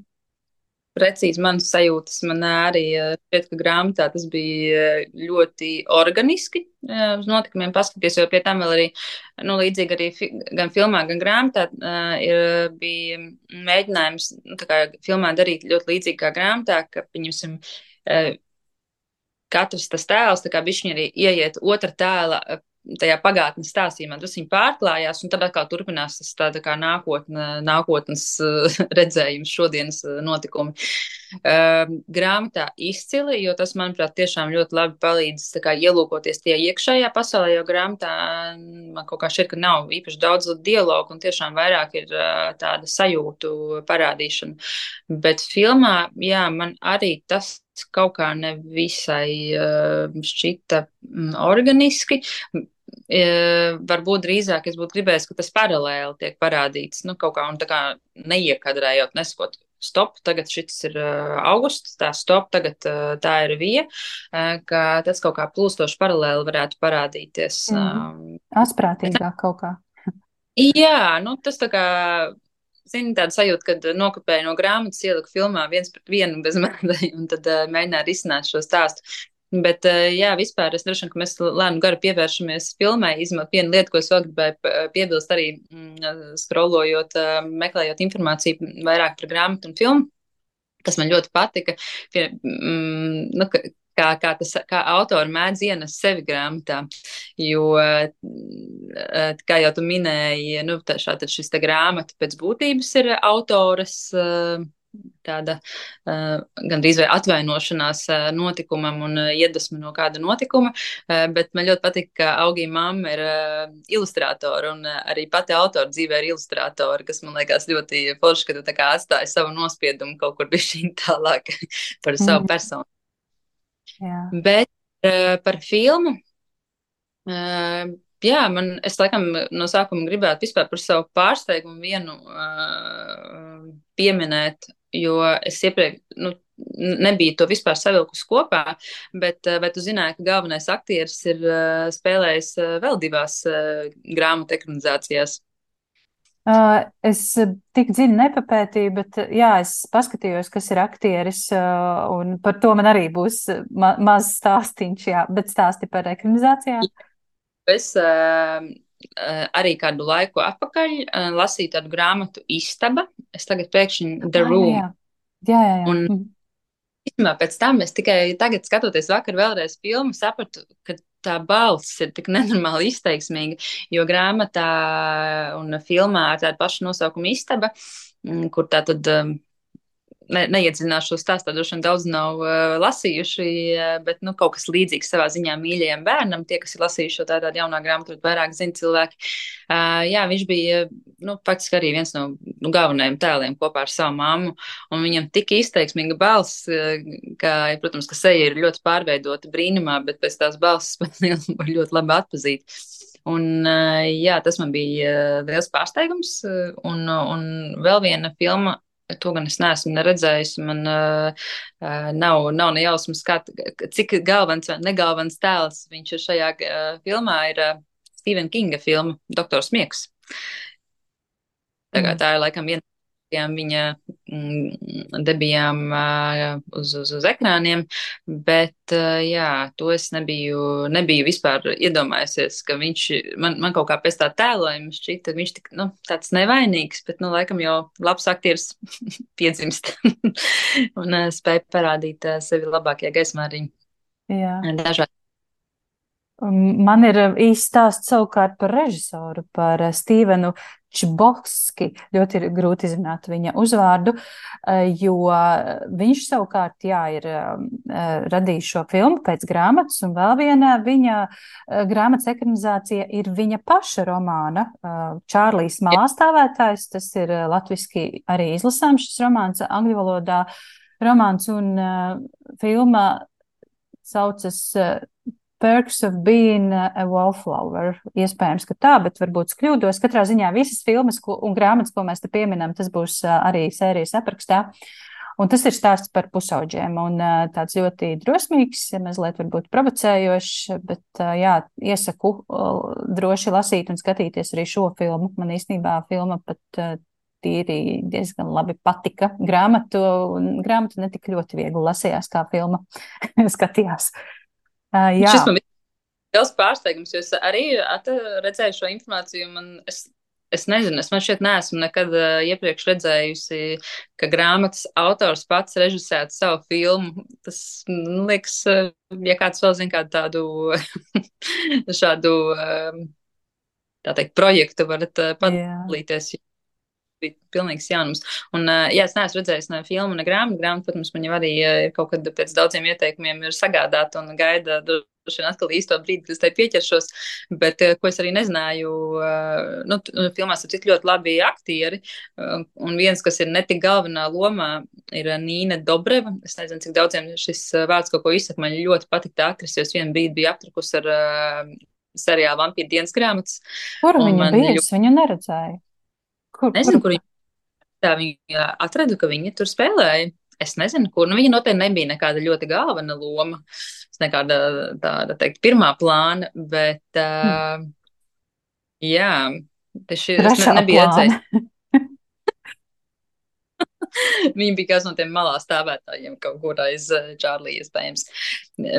Precīzi manas sajūtas. Man arī eh, šķiet, ka grāmatā tas bija eh, ļoti organiski eh, uz notikumiem paskatīties, jo pie tam vēl arī, nu, līdzīgi arī fi gan filmā, gan grāmatā uh, ir, bija mēģinājums, nu, tā kā filmā darīt ļoti līdzīgi kā grāmatā, ka, pieņemsim, uh, katrs tas tēls, tā kā bišķiņi arī ieiet otra tēla tajā pagātnes stāstījumā, tas viņi pārklājās, un tad atkal turpinās tas tāda kā nākotne, nākotnes uh, redzējums, šodienas uh, notikumi. Uh, grāmatā izcili, jo tas, manuprāt, tiešām ļoti labi palīdz tā kā ielūkoties tie iekšējā pasaulē, jo grāmatā man kaut kā šķiet, ka nav īpaši daudz dialogu, un tiešām vairāk ir uh, tāda sajūtu parādīšana. Bet filmā, jā, man arī tas kaut kā nevisai uh, šķita mm, organiski. Uh, varbūt drīzāk es būtu gribējis, ka tas paralēli tiek parādīts, nu, kaut kā, un tā kā neiekadrējot, nesakot, stop, tagad šis ir uh, augusts, tā stop, tagad uh, tā ir vija, uh, ka tas kaut kā plūstoši paralēli varētu parādīties. Mm. Um, Asprātīgāk kaut kā. jā, nu, tas tā kā. Zini, tāda sajūta, kad nokopēju no grāmatas, ieliku filmā viens pret vienu bez mēdēju, un tad uh, mēģināju risināt šo stāstu. Bet, uh, jā, vispār es droši vien, ka mēs lēnu garu pievēršamies filmai, izmantot vienu lietu, ko es vēl gribēju piebilst arī mm, scrollojot, uh, meklējot informāciju vairāk par grāmatu un filmu, kas man ļoti patika. Pie, mm, nu, ka, Kā, kā, tas, kā autori mēdz ienest sevi grāmatā, jo, kā jau tu minēji, nu, tā, šā, šis te grāmata pēc būtības ir autoras tāda gandrīz vai atvainošanās notikumam un iedvesma no kāda notikuma, bet man ļoti patīk, ka Augī mamma ir ilustrātora un arī pati autora dzīvē ir ilustrātora, kas man liekas ļoti forši, ka tu tā kā atstāji savu nospiedumu kaut kur bišķiņ tālāk par savu Mm. personu. Jā. Bet uh, par filmu, uh, jā, man, es laikam no sākuma gribētu vispār par savu pārsteigumu vienu uh, pieminēt, jo es iepriekš, nu, nebiju to vispār savilkus kopā, bet uh, vai tu zināji, ka galvenais aktieris ir uh, spēlējis uh, vēl divās uh, grāmatu ekranizācijās? Uh, es tik dziļi nepapētīju, bet uh, jā, es paskatījos, kas ir aktieris, uh, un par to man arī būs ma maz stāstīņš, jā, bet stāsti par ekranizācijām. Es uh, arī kādu laiku atpakaļ uh, lasīju tādu grāmatu Istaba. Es tagad pēkšņi The Ah, jā, Room. jā, jā, jā, jā. Un Mm. īstenībā pēc tam es tikai tagad, skatoties vakar vēlreiz filmu, sapratu, ka tā balss ir tik nenormāli izteiksmīga, jo grāmatā un filmā ar tādu pašu nosaukumu Istaba, mm, kur tā tad um, ne, neiedziļināšos stāstā, droši vien daudz nav uh, lasījuši, uh, bet nu, kaut kas līdzīgs savā ziņā mīļajam bērnam. Tie, kas ir lasījuši šo tādu jaunā grāmatu, vairāk zina cilvēki. Uh, jā, viņš bija nu, faktiski arī viens no nu, galvenajiem tēliem kopā ar savu mammu, un viņam tik izteiksmīga balss, uh, ka, protams, ka seja ir ļoti pārveidota brīnumā, bet pēc tās balss var ļoti labi atpazīt. Un, uh, jā, tas man bija uh, liels pārsteigums, uh, un, un vēl viena filma. To gan es neesmu neredzējis. Man uh, nav, nav ne jausmas, kā, cik galvens vai negalvens tēls viņš ir šajā uh, filmā. Ir uh, Stevena Kinga filma Doktors Miegs. Tā, kā, Mm. tā ir laikam viena viņa mm, debijām uh, uz, uz, uz ekrāniem, bet uh, jā, to es nebiju, nebiju vispār iedomājusies, ka viņš, man, man kaut kā pēc tā tēlojuma šķita, viņš tik, nu, tāds nevainīgs, bet, nu, laikam jau labs aktieris piedzimst un uh, spēja parādīt uh, sevi labākajā gaismā arī Jā. dažādi. Man ir īsts stāsts savukārt par režisoru, par Stīvenu Čbovski. Ļoti ir grūti izrunāt viņa uzvārdu, jo viņš savukārt, jā, ir radījis šo filmu pēc grāmatas, un vēl viena viņa grāmatas ekranizācija ir viņa paša romāna Čārlīs Malāstāvētājs. Tas ir latviski arī izlasāms šis romāns, angļu valodā romāns, un filma saucas Perks of Being a Wallflower. Iespējams, ka tā, bet varbūt es kļūdos. Katrā ziņā visas filmas ko, un grāmatas, ko mēs te pieminam, tas būs arī sērijas aprakstā. Un tas ir stāsts par pusauģiem un tāds ļoti drosmīgs, mazliet varbūt provocējošs, bet jā, iesaku droši lasīt un skatīties arī šo filmu. Man īstenībā filma pat tīri diezgan labi patika. Grāmatu, grāmatu netik ļoti viegli lasījās, kā filma skatījās. Uh, jā. Šis man bija liels pārsteigums, jo es arī redzēju šo informāciju. Man, es, es nezinu, es man šķiet neesmu nekad uh, iepriekš redzējusi, ka grāmatas autors pats režisētu savu filmu. Tas, man liekas, uh, ja kāds vēl zina kādu tādu šādu, uh, tā teikt, projektu, varat uh, padalīties. Yeah. Bija pilnīgs jaunums. Un, jā, es neesmu redzējis ne filmu, ne grāmatu. Grāmatu, protams, man jau arī ir kaut kad pēc daudziem ieteikumiem ir sagādāta un gaida droši vien atkal īsto brīdi, kad es tai pieķeršos. Bet, ko es arī nezināju, nu, filmās ir cik ļoti labi aktieri. Un viens, kas ir ne tik galvenā lomā, ir Nīna Dobreva. Es nezinu, cik daudziem šis vārds kaut ko izsaka. Man ļoti patīk tā aktrise, jo es vienu brīdi biju aptrakus ar uh, seriālu Vampīra dienas grāmatas. Kur viņa bija? Es viņu neredzēju. Kur, nezinu, kur, kur viņa, tā viņa atradu, ka viņa tur spēlēja. Es nezinu, kur. Nu, viņa noteikti nebija nekāda ļoti galvena loma. Nekāda tāda, teikt, pirmā plāna, bet, uh, jā, tieši es ne, nebiju redzējis. Viņa bija kāds no tiem malā stāvētājiem kaut kur aiz Čārlī, iespējams.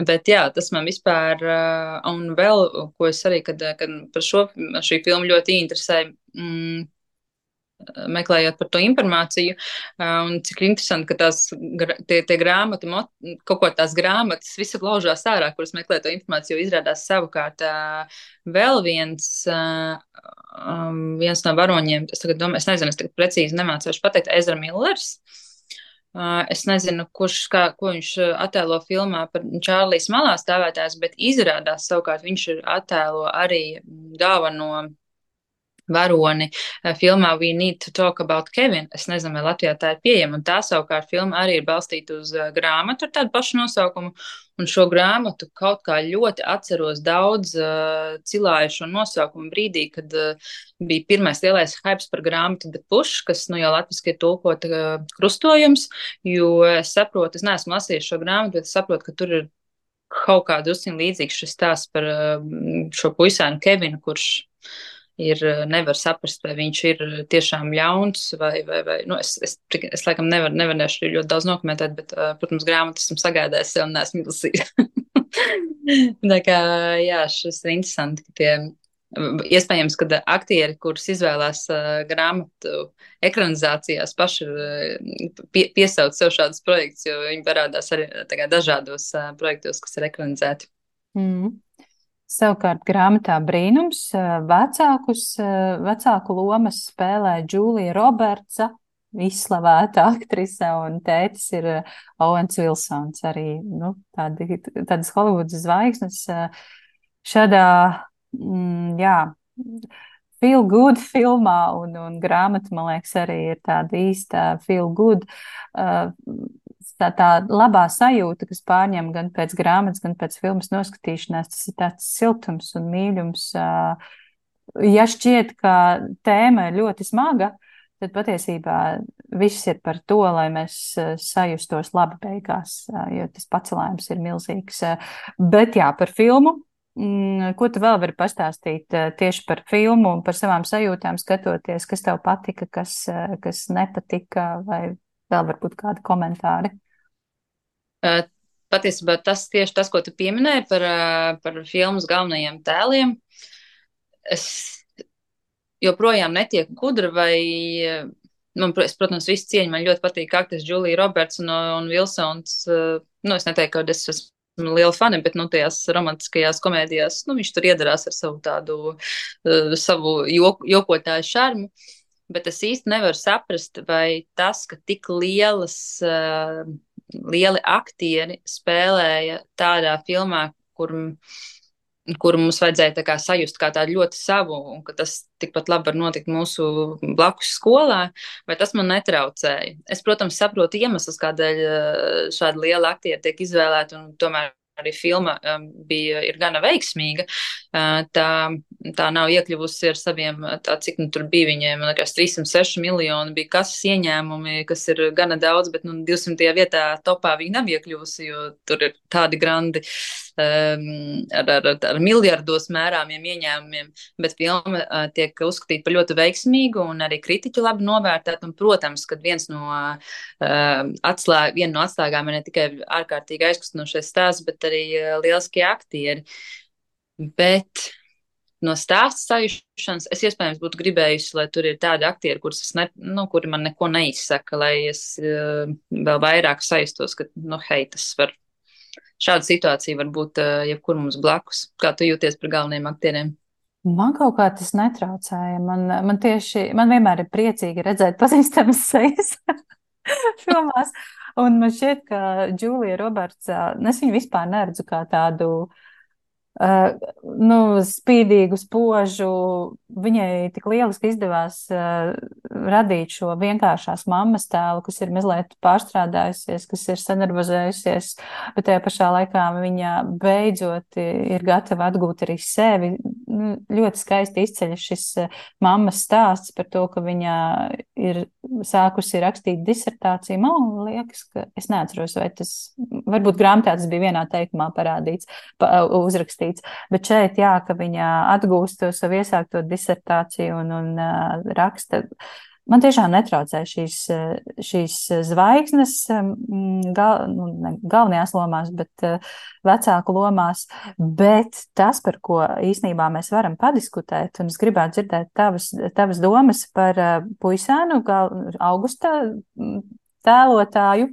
Bet jā, tas man vispār, uh, un vēl, ko es arī, kad, kad par šo, šī filmu ļoti interesēja, mm, meklējot par to informāciju, un cik interesanti, ka tās tie, tie grāmati, kaut ko tās grāmatas visu laužās ārā, kuras meklē to informāciju, jo izrādās savukārt vēl viens, viens no varoņiem, es tagad domāju, es nezinu, es tagad precīzi nemācīšu pateikt, Ezra Millers. Es nezinu, kurš, kā, ko viņš attēlo filmā par Čārlīs malā stāvētājs, bet izrādās savukārt viņš ir attēlo arī dāvano varoni filmā We Need to Talk About Kevin. Es nezinu, vai Latvijā tā ir pieejama, un tā savukārt filma arī ir balstīta uz grāmatu ar tādu pašu nosaukumu, un šo grāmatu kaut kā ļoti atceros daudz uh, cilāju šo nosaukumu brīdī, kad uh, bija pirmais lielais hypes par grāmatu The Push, kas nu jau latviski ir tulkota uh, krustojums, jo es saprotu, es neesmu lasījis šo grāmatu, bet es saprotu, ka tur ir kaut kā drusciņ līdzīgs šis stāsts par uh, šo puisēnu Kevinu, kurš ir, nevar saprast, vai viņš ir tiešām ļauns, vai, vai, vai nu, es, es, es laikam nevar, nevarēšu ļoti daudz nokomentēt, bet, uh, protams, grāmatu esmu sagādājis sev un neesmu lasījis. Tā kā, jā, šis ir interesanti, ka tie, iespējams, kad aktieri, kurus izvēlās uh, grāmatu ekranizācijās, paši uh, pie, piesauc sev šādus projektus, jo viņi parādās arī tā kā dažādos uh, projektos, kas ir ekranizēti. Mm. Savukārt grāmatā Brīnums vecākus, vecāku lomas spēlē Džūlija Robertsa, izslavēta aktrise, un tētis ir Owens Vilsons, arī nu, tādi, tādas Holivudas zvaigznes. Šādā, mm, jā, feel good filmā, un, un grāmata, man liekas, arī ir tāda īsta feel good. Uh, Tā, tā labā sajūta, kas pārņem gan pēc grāmatas, gan pēc filmas noskatīšanās, tas ir tāds siltums un mīļums. Ja šķiet, ka tēma ir ļoti smaga, tad patiesībā viss ir par to, lai mēs sajustos labi beigās, jo tas pacelājums ir milzīgs. Bet jā, par filmu mm, ko tu vēl vari pastāstīt uh, tieši par filmu un par savām sajūtām skatoties, kas tev patika, kas, uh, kas nepatika, vai vēl varbūt kādi komentāri? Uh, Patiesībā tas tieši tas, ko tu pieminēji par, uh, par filmas galvenajiem tēliem. Es joprojām netieku gudra vai, uh, man, es, protams, visu cieņu, man ļoti patīk aktris Julija Roberts un, un Vilsons. Uh, nu, es neteiktu, ka es esmu liela fani, bet, nu, tajās romantiskajās komēdijās, nu, viņš tur iedarās ar savu tādu, uh, savu jok, jokotāju šarmu. Bet es īsti nevaru saprast, vai tas, ka tik lielas, uh, lieli aktieri spēlēja tādā filmā, kur, kur mums vajadzēja tā kā sajust kā tādu ļoti savu, un ka tas tikpat labi var notikt mūsu blakus skolā, vai tas man netraucēja. Es, protams, saprotu iemeslus, kādēļ šādi lieli aktieri tiek izvēlēti, un tomēr arī filma um, bija, ir gana veiksmīga. Uh, tā, tā nav iekļuvusi ar saviem, tā, cik nu tur bija viņiem, man liekas, trīssimt seši miljoni bija kases ieņēmumi, kas ir gana daudz, bet nu, divsimtajā vietā topā viņa nav iekļuvusi, jo tur ir tādi grandi um, ar, ar, ar miljardos mērāmiem ieņēmumiem, bet filma uh, tiek uzskatīta par ļoti veiksmīgu un arī kritiķi labi novērtēt, un, protams, kad viens no uh, atslēg, viena no atslēgām ir ne tikai ārkārtīgi aizkustinošais stāsts, bet arī lieliskie aktieri. Bet no stāsta sajušanas es iespējams būtu gribējusi, lai tur ir tādi aktieri, kurus es ne, nu, kuri man neko neizsaka, lai es uh, vēl vairāk sajustos, ka, nu, hei, tas var, šāda situācija var būt uh, jebkur mums blakus. Kā tu jūties par galvenajiem aktieriem? Man kaut kā tas netraucēja. Man, man tieši, man vienmēr ir priecīgi redzēt pazīstamas sejas filmās. Un man šķiet, ka Džūlija Roberts, es viņu vispār neredzu kā tādu uh, nu, spīdīgu, spožu. Viņai tik lieliski izdevās uh, radīt šo vienkāršās mammas tēlu, kas ir mazliet pārstrādājusies, kas ir sanervozējusies, bet tajā pašā laikā viņa beidzot ir gatava atgūt arī sevi. Ļoti skaisti izceļas šis mammas stāsts par to, ka viņa ir sākusi rakstīt disertāciju. Man liekas, ka es neatceros, vai tas, varbūt grāmatā tas bija vienā teikumā parādīts, pa, uzrakstīts, bet šeit, jā, ka viņa atgūst to savu iesākto disertāciju un, un uh, raksta. Man tiešām netraucē šīs, šīs zvaigznes gal, nu, ne, galvenajās lomās, bet uh, vecāku lomās, bet tas, par ko īstenībā mēs varam padiskutēt, un es gribētu dzirdēt tavas, tavas domas par uh, puisēnu, gal, Augusta tēlotāju,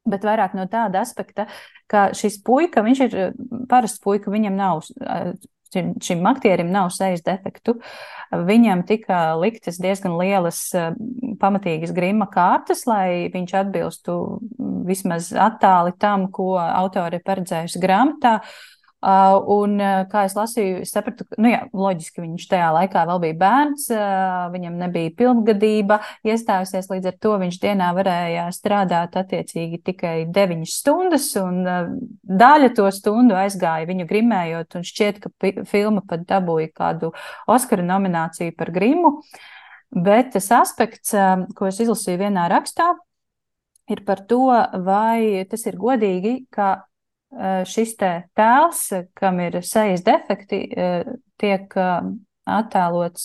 bet vairāk no tāda aspekta, ka šis puika, viņš ir parasts puika, viņam nav uh, šim aktierim nav sejas defektu. Viņam tika liktas diezgan lielas pamatīgas grima kārtas, lai viņš atbilstu vismaz attāli tam, ko autori ir paredzējusi grāmatā. Un, kā es lasīju, es sapratu, nu jā, loģiski viņš tajā laikā vēl bija bērns, viņam nebija pilngadība iestājusies, līdz ar to viņš dienā varēja strādāt attiecīgi tikai deviņas stundas, un daļa to stundu aizgāja viņu grimējot, un šķiet, ka filma pat dabūja kādu Oskara nomināciju par grimu, bet tas aspekts, ko es izlasīju vienā rakstā, ir par to, vai tas ir godīgi, ka šis te tēls, kam ir sejas defekti, tiek attēlots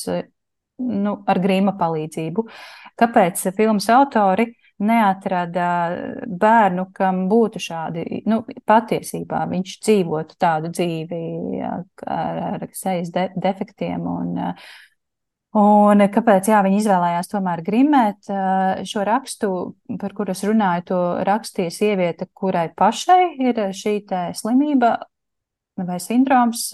nu, ar grīma palīdzību. Kāpēc filmas autori neatrada bērnu, kam būtu šādi, nu, patiesībā viņš dzīvotu tādu dzīvi ar, ar sejas de, defektiem un Un kāpēc, jā, viņi izvēlējās tomēr grimēt šo rakstu, par kuru es runāju, to rakstīja sieviete, kurai pašai ir šī te slimība vai sindroms.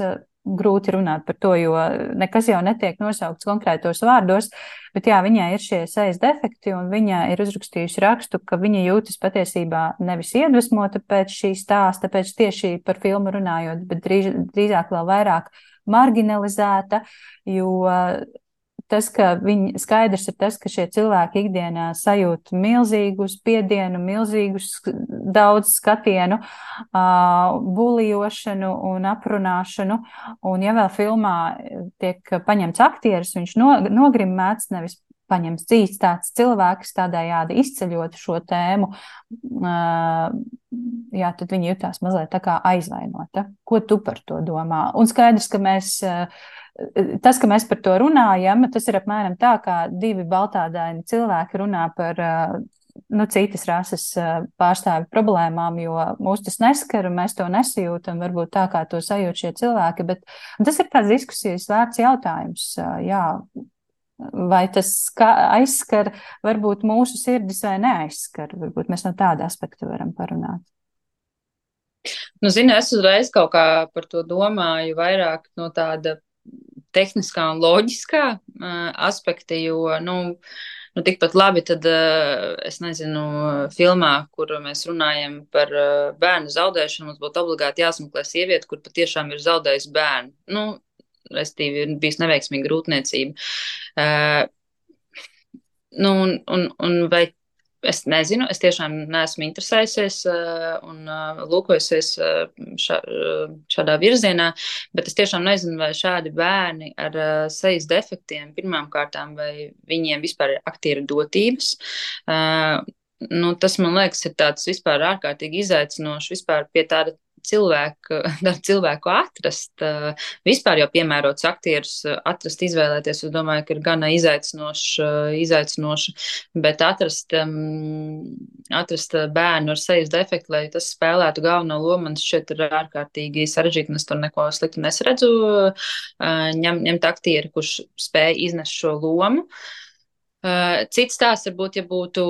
Grūti runāt par to, jo nekas jau netiek nosaukts konkrētos vārdos, bet jā, viņai ir šie sejas defekti un viņa ir uzrakstījusi rakstu, ka viņa jūtas patiesībā nevis iedvesmota pēc šī stāsta, pēc tieši par filmu runājot, bet drīz, drīzāk vēl vairāk marginalizēta, jo tas, ka viņi, skaidrs ir tas, ka šie cilvēki ikdienā sajūt milzīgu spiedienu, milzīgu daudz skatienu, uh, bulijošanu un aprunāšanu, un ja vēl filmā tiek paņemts aktieris, viņš no, nogrimēts, nevis paņems dzīves tāds cilvēks, tādējādi izceļot šo tēmu, jā, tad viņi jutās mazliet tā kā aizvainota. Ko tu par to domā? Un skaidrs, ka mēs, tas, ka mēs par to runājam, tas ir apmēram tā, kā divi baltādaini cilvēki runā par nu, citas rases pārstāvi problēmām, jo mūs tas neskar un mēs to nesajūtam, varbūt tā, kā to sajūt šie cilvēki, bet tas ir tāds diskusijas vērts jautājums, jā, vai tas aizskar varbūt mūsu sirdis vai neaizskar, varbūt mēs no tāda aspekta varam parunāt. Nu, zini, es uzreiz kaut kā par to domāju vairāk no tāda tehniskā un loģiskā uh, aspekta, jo, nu, Nu, tikpat labi, tad es nezinu, filmā, kur mēs runājam par bērnu zaudēšanu, mums būtu obligāti jāsmeklē sieviete, kur patiešām ir zaudējusi bērnu. Nu, restīvi, ir bijis neveiksmīga grūtniecība. Uh, nu, un, un, un vai es nezinu, es tiešām neesmu interesējusies uh, un uh, lūkojusies uh, šā, uh, šādā virzienā, bet es tiešām nezinu, vai šādi bērni ar uh, sejas defektiem pirmām kārtām, vai viņiem vispār ir aktieru dotības. Uh, nu, tas, man liekas, ir tāds vispār ārkārtīgi izaicinoši vispār pie tāda cilvēku, cilvēku atrast, vispār jau piemērots aktierus atrast, izvēlēties, es domāju, ka ir gana izaicinoši, izaicinoši, bet atrast, atrast bērnu ar sejas defektu, lai tas spēlētu galveno lomu, man šķiet ir ārkārtīgi sarežģīti, un es tur neko sliktu nesredzu, ņem, ņemt aktieri, kurš spēj iznest šo lomu. Cits tās varbūt, ja būtu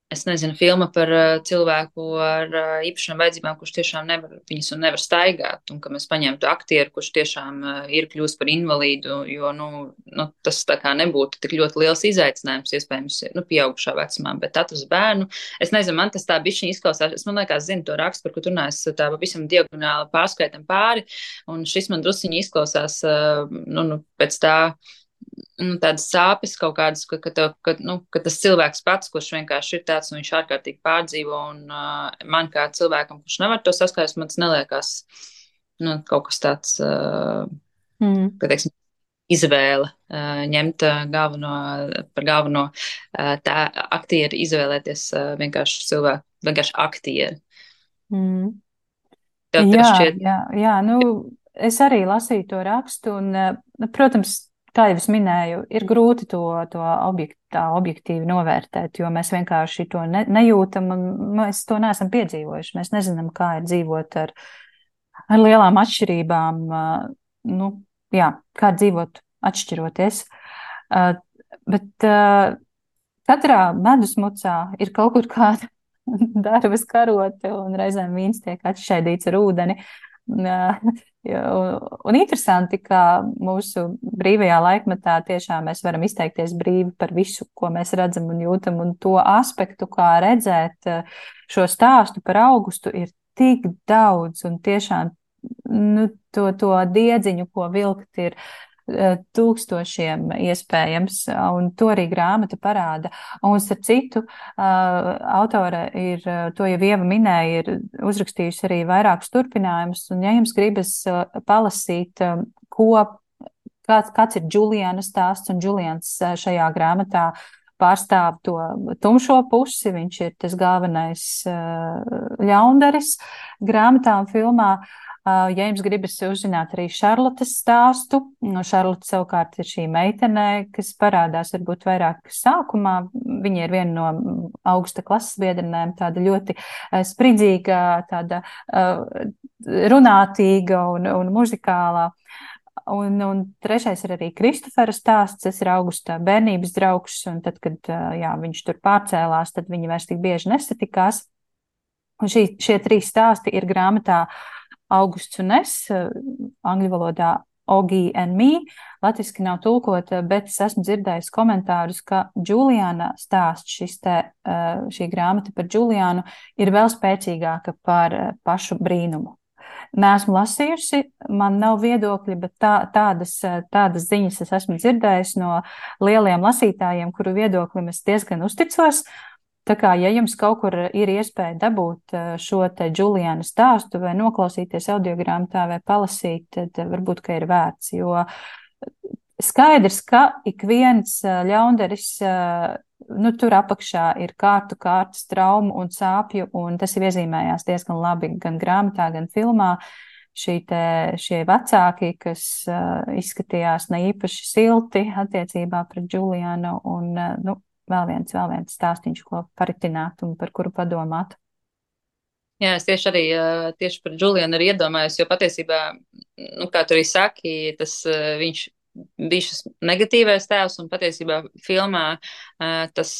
es nezinu, filma par uh, cilvēku ar uh, īpašām vajadzībām, kurš tiešām nevar, viņas un nevar staigāt, un ka mēs paņemtu aktieru, kurš tiešām uh, ir kļūst par invalīdu, jo, nu, nu, tas tā kā nebūtu tik ļoti liels izaicinājums, iespējams, nu, pieaugušā vecumā, bet atrast bērnu, es nezinu, man tas tā bišķiņ izklausās, es man liekas, zinu to rakstu, par ko tu runājas, tā pavisam diagonāli pārskaitam pāri, un šis man drusciņi izklausās, uh, nu, nu, pēc tā, nu, tādas sāpes kaut kādas, ka, ka, tev, ka, nu, ka tas cilvēks pats, kurš vienkārši ir tāds, un viņš ārkārtīgi pārdzīvo, un uh, man kā cilvēkam, kurš nevar to saskaist, man tas neliekās, nu, kaut kas tāds, uh, mm. ka, teiksim, izvēle uh, ņemt uh, galveno, par galveno uh, tā aktieri, izvēlēties uh, vienkārši cilvēku, vienkārši aktieri. Mm. Tev, tev jā, šķiet... jā, jā, nu, es arī lasīju to rakstu, un, uh, protams, kā jau es minēju, ir grūti to, to objekt, tā objektīvi novērtēt, jo mēs vienkārši to ne, nejūtam un mēs to neesam piedzīvojuši. Mēs nezinām, kā ir dzīvot ar, ar lielām atšķirībām, nu, jā, kā dzīvot atšķiroties. Bet katrā medusmucā ir kaut kur kāda darbas karote un reizēm vīns tiek atšķaidīts ar ūdeni. Un, un interesanti, ka mūsu brīvajā laikmetā tiešām mēs varam izteikties brīvi par visu, ko mēs redzam un jūtam, un to aspektu, kā redzēt šo stāstu par Augustu, ir tik daudz, un tiešām nu, to, to diedziņu, ko vilkt, ir tūkstošiem iespējams, un to arī grāmata parāda. Un starp citu, autore ir, to jau Ieva minēja, ir uzrakstījusi arī vairākus turpinājumus, un ja jums gribas palasīt, ko, kāds, kāds ir Džuliana stāsts, un Džulians šajā grāmatā pārstāv to tumšo pusi, viņš ir tas galvenais ļaundaris grāmatā un filmā. Ja jums gribas uzzināt arī Šarlotes stāstu, no Šarlote savukārt ir šī meitene, kas parādās varbūt vairāk sākumā. Viņa ir viena no Augusta klases biedrenēm, tāda ļoti spridzīga, tāda runātīga un, un muzikālā. Un, un trešais ir arī Kristofera stāsts, tas ir Augusta bērnības draugs, un tad, kad jā, viņš tur pārcēlās, tad viņi vairs tik bieži nesatikās. Un šī, šie trīs stāsti ir grāmatā Augusts un es, angļu valodā Ogi and me, latviski nav tulkota, bet es esmu dzirdējis komentārus, ka Džuliāna stāsts, šis te, šī grāmata par Džuliānu, ir vēl spēcīgāka par pašu brīnumu. Neesmu lasījusi, man nav viedokļi, bet tā, tādas, tādas ziņas es esmu dzirdējis no lieliem lasītājiem, kuru viedoklim es diezgan uzticos. Tā kā, ja jums kaut kur ir iespēja dabūt šo te Džuliāna stāstu vai noklausīties audiogrāmatā vai palasīt, tad varbūt, ka ir vērts, jo skaidrs, ka ik viens ļaundaris, nu, tur apakšā ir kārtu kārtas traumu un sāpju, un tas ir iezīmējās diezgan labi gan grāmatā, gan filmā. Šī te, šie vecāki, kas uh, izskatījās ne īpaši silti attiecībā pret Julianu, un, uh, nu, vēl viens, vēl viens stāstīņš, ko paritināt un par kuru padomāt. Jā, es tieši arī tieši par Julianu arī iedomājos, jo patiesībā, nu, kā tu arī saki, tas viņš bija šis negatīvais tēvs, un patiesībā filmā tas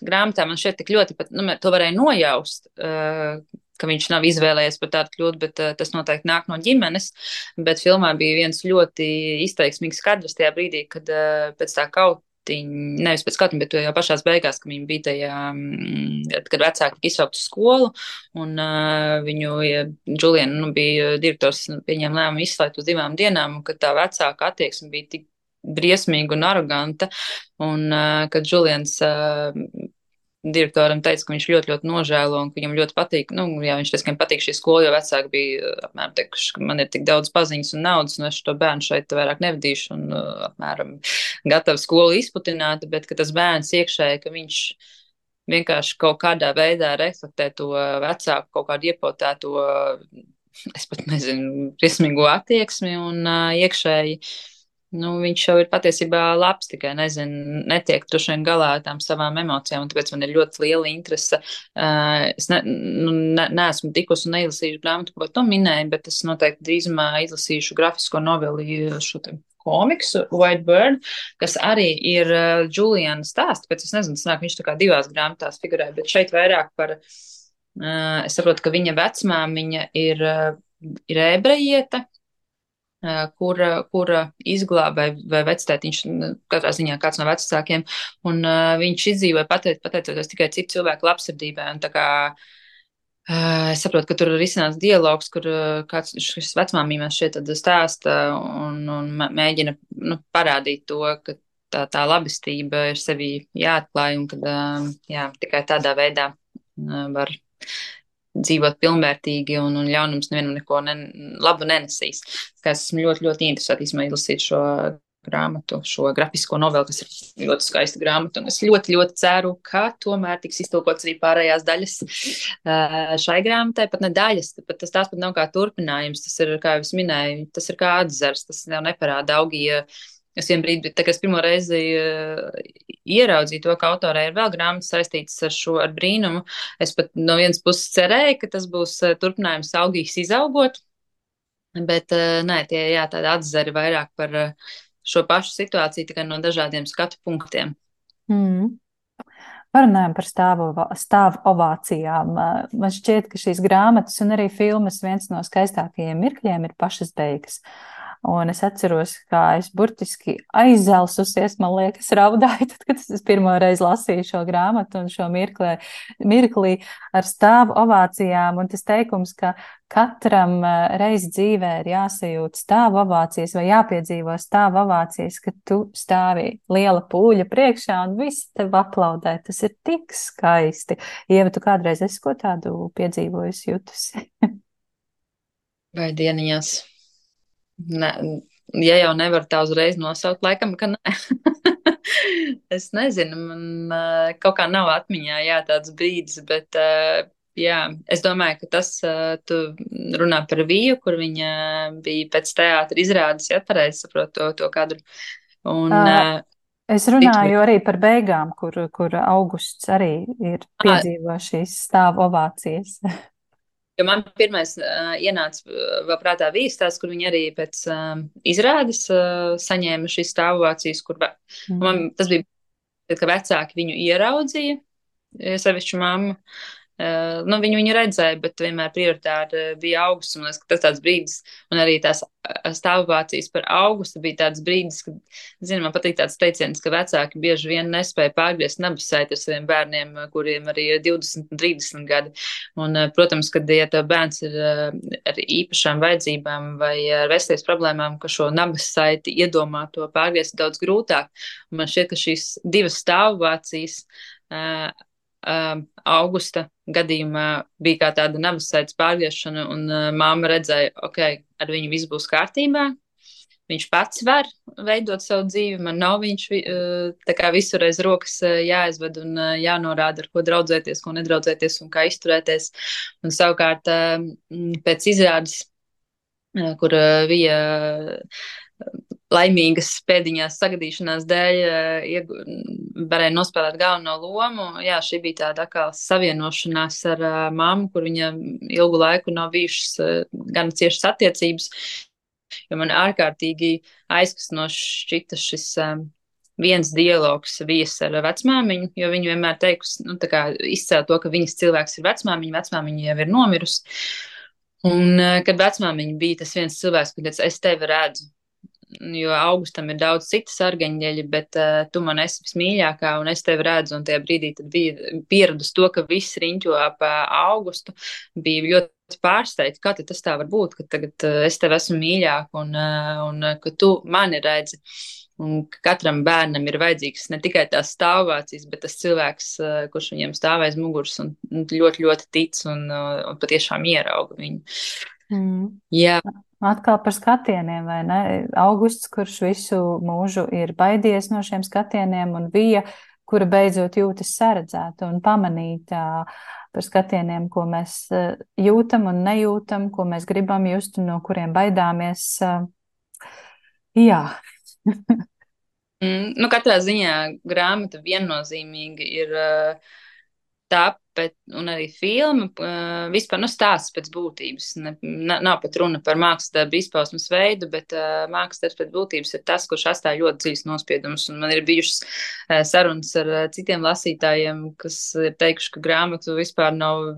grāmatā man šeit tik ļoti, pat, nu, to varēja nojaust, ka viņš nav izvēlējies par tādu kļūt, bet uh, tas noteikti nāk no ģimenes. Bet filmā bija viens ļoti izteiksmīgs kadrs tajā brīdī, kad uh, pēc tā kautiņa, nevis pēc kautiņa, bet jau pašās beigās, kad viņi bija tajā, kad vecāki tika izsaukt uz skolu, un uh, viņu, ja Juliana, nu, bija direktors, pieņēma lēmumu izslēgt uz divām dienām, un kad tā vecāka attieksme bija tik briesmīga un aroganta, un uh, kad Julians uh, direktoram teica, ka viņš ļoti, ļoti nožēlo un ka viņam ļoti patīk, nu, jā, viņš teica, ka viņam patīk šī skola, jo vecāki bija apmēram teikuši, ka man ir tik daudz paziņas un naudas, un es šo bērnu šeit vairāk nevadīšu un apmēram gatavu skolu izputināt, bet ka tas bērns iekšēji, ka viņš vienkārši kaut kādā veidā reflektē to vecāku, kaut kādu iepotēto, es pat nezinu, briesmīgo attieksmi un uh, iekšēji. Nu, viņš jau ir patiesībā labs, tikai nezinu, netiek droši vien galā ar tām savām emocijām, un tāpēc man ir ļoti liela interese. Uh, es ne, nu, ne, neesmu tikusi un neizlasījuši grāmatu, ko tu minēji, bet es noteikti drīzumā izlasīšu grafisko noveli šo te komiksu White Bird, kas arī ir uh, Juliana stāsts, pēc es nezinu, sanāk, viņš tā kā divās grāmatās figurē, bet šeit vairāk par, uh, es saprotu, ka viņa vecmāmiņa ir, uh, ir ebrejiete, kura, kura izglāba vai, vai vectētiņš, katrā ziņā kāds no vecākiem, un uh, viņš izdzīvoja pateic, pateicoties tikai citu cilvēku labsirdībai, un tā kā uh, es saprotu, ka tur ir izcināts dialogs, kur uh, kāds šis vecmāmīmēs šeit tad stāsta un, un mēģina, nu, parādīt to, ka tā, tā labestība ir sevī jāatklāj, un kad, uh, jā, tikai tādā veidā uh, var dzīvot pilnvērtīgi, un, un ļaunums nevienam neko ne, labu nenesīs. Tā es esmu ļoti, ļoti interesēta īstenībā izlasīt šo grāmatu, šo grafisko novelu, kas ir ļoti skaista grāmata, un es ļoti, ļoti ceru, ka tomēr tiks iztulkots arī pārējās daļas šai grāmatai, pat ne daļas, pat tas tās pat nav kā turpinājums, tas ir, kā jau es minēju, tas ir kā atzars, tas jau neparāda augija. Es vien brīdi, tā kā es pirmo reizi uh, ieraudzīju to, ka autorē ir vēl grāmatas saistītas ar šo, ar brīnumu, es pat no vienas puses cerēju, ka tas būs uh, turpinājums augīgs izaugot, bet uh, nē, tie, jā, tādi atzari vairāk par uh, šo pašu situāciju, tikai no dažādiem skatu punktiem. Mm. Parunājam par stāvu, stāvu ovācijām. Man šķiet, ka šīs grāmatas un arī filmas viens no skaistākajiem mirkļiem ir pašas beigas. Un es atceros, kā es burtiski aizelsusies, man liekas, raudāju, tad, kad es pirmo reizi lasīju šo grāmatu un šo mirklī, mirklī ar stāvu ovācijām. Un tas teikums, ka katram reizi dzīvē ir jāsajūt stāvu ovācijas vai jāpiedzīvo stāvu ovācijas, ka tu stāvi liela pūļa priekšā un visi tev aplaudē. Tas ir tik skaisti. Ieva, tu kādreiz esi ko tādu piedzīvojusi, jutusi? Vai dieniņās? Ne, ja jau nevar tā uzreiz nosaukt, laikam, ka nē. Es nezinu, man kaut kā nav atmiņā, jā, tāds brīdis, bet, jā, es domāju, ka tas, tu runā par Viju, kur viņa bija pēc teātra izrādes, ja pareizi saprotu to, to kadru. Un, uh, es runāju arī par beigām, kur, kur Augusts arī ir piedzīvo šīs stāvu ovācijas. Jo man pirmais uh, ienāca vēl prātā Vijas tās, kur viņi arī pēc uh, izrādes uh, saņēma šīs stāvovācijas, kur mm. man, tas bija, ka vecāki viņu ieraudzīja, sevišķi mamma. Uh, nu, viņu, viņu redzēja, bet vienmēr prioritāri bija Augusts, un tas tāds brīdis, un arī tās stāvovācijas par Augustu bija tāds brīdis, kad, zinu, man patīk tāds teiciens, ka vecāki bieži vien nespēja pārgriezt nabas saiti ar saviem bērniem, kuriem arī ir divdesmit un trīsdesmit gadi. Un, protams, kad, ja tev bērns ir ar īpašām vajadzībām vai ar veselības problēmām, ka šo nabas saiti iedomāt to pārgriezt daudz grūtāk. Un man šķiet, ka šīs divas stāvovācijas uh, Uh, Augusta gadījumā bija kā tāda nabas saites pārgriešana, un uh, māma redzēja, ok, ar viņu viss būs kārtībā, viņš pats var veidot savu dzīvi. Man nav viņš tā kā visur aiz rokas jāizved un jānorāda, ar ko draudzēties, ko nedraudzēties un kā izturēties. Un savukārt pēc izrādes, kur bija laimīgas pēdiņās sagadīšanās dēļ varēja nospēlēt galveno lomu. Jā, šī bija tāda kā savienošanās ar mammu, kur viņa ilgu laiku nav bijušas gan ciešas attiecības, jo man ārkārtīgi aizkustinoši šķita šis um, viens dialogs vies ar vecmāmiņu, jo viņa vienmēr teikusi, nu, tā kā izcēla to, ka viņas cilvēks ir vecmāmiņa, vecmāmiņa jau ir nomirusi. Un, kad vecmāmiņa bija tas viens cilvēks, kad es tevi redzu, jo Augustam ir daudz citas argaņģeļi, bet uh, tu man esi vismīļākā un es tevi redzu, un tajā brīdī tad bija pieradus to, ka viss riņķo ap uh, Augustu, bija ļoti pārsteigts, kā tas tā var būt, ka tagad uh, es tevi esmu mīļāk un, uh, un uh, ka tu mani redzi. Un katram bērnam ir vajadzīgs ne tikai tās stāvvācijas, bet tas cilvēks, uh, kurš viņiem stāv aiz muguras un ļoti, ļoti tic un, uh, un patiešām ierauga viņu. Mm. Jā. Atkal par skatieniem, vai ne? Augusts, kurš visu mūžu ir baidies no šiem skatieniem, un Vija, kura beidzot jūtas saredzēta un pamanīta par skatieniem, ko mēs jūtam un nejūtam, ko mēs gribam just un no kuriem baidāmies. Jā. mm, nu, katrā ziņā grāmata viennozīmīgi ir uh, tāpēc, un arī filma, uh, vispār nu stāsts pēc būtības. Ne, nav pat runa par mākslasdarbu izpausmes veidu, bet uh, mākslasdarbs pēc būtības ir tas, kurš atstāja ļoti dziļus nospiedumus. Un man ir bijušas uh, sarunas ar uh, citiem lasītājiem, kas ir teikuši, ka grāmatu vispār nav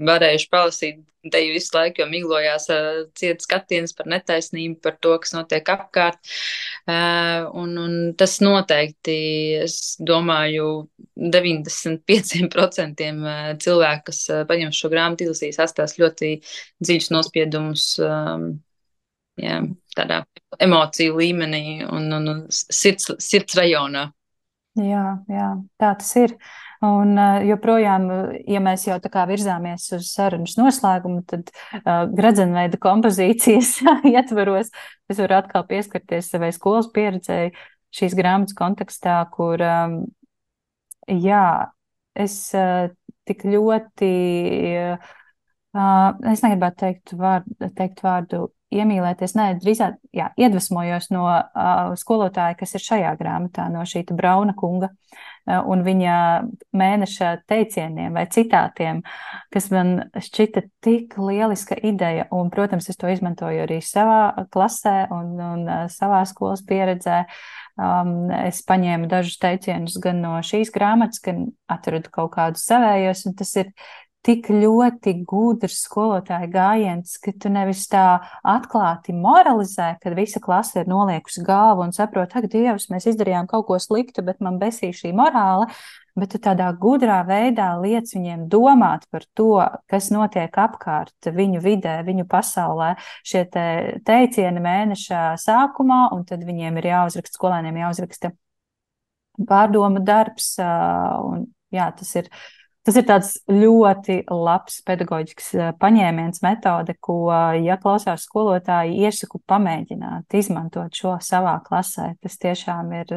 varējuši palasīt te visu laiku, jo miglojās uh, ciet skatiens par netaisnību, par to, kas notiek apkārt. Uh, un, un tas noteikti, es domāju, deviņdesmit pieci procenti cilvēki, kas paņem šo grāmatu, izlasīs, atstās ļoti dziļus nospiedumus um, jā, tādā emociju līmenī un, un, un sirds, sirds rajonā. Jā, jā, tā tas ir. Un joprojām, ja mēs jau tā kā virzāmies uz sarunas noslēgumu, tad uh, gradzenveida kompozīcijas ietvaros es varu atkal pieskarties savai skolas pieredzēji šīs grāmatas kontekstā, kur, um, jā, es uh, tik ļoti, uh, es negribētu teikt vārdu, teikt vārdu iemīlēties, nē, drīzāk, jā, iedvesmojos no uh, skolotāja, kas ir šajā grāmatā, no šīta Brauna kunga uh, un viņa mēneša teicieniem vai citātiem, kas man šķita tik lieliska ideja, un, protams, es to izmantoju arī savā klasē un, un uh, savā skolas pieredzē. Um, es paņēmu dažus teicienus gan no šīs grāmatas, gan atradu kaut kādus savējos, un tas ir tik ļoti gudrs skolotāja gājiens, ka tu nevis tā atklāti moralizē, kad visa klase ir noliekusi galvu un saprot, ak, Dievs, mēs izdarījām kaut ko sliktu, bet man besī šī morāla, bet tu tādā gudrā veidā liec viņiem domāt par to, kas notiek apkārt viņu vidē, viņu pasaulē, šie te teicieni mēneša sākumā, un tad viņiem ir jāuzraksta, skolēniem jāuzraksta pārdomu darbs, un jā, tas ir Tas ir tāds ļoti labs pedagoģisks paņēmiens, metode, ko, ja klausās skolotāji, iesaku pamēģināt, izmantot šo savā klasē. Tas tiešām ir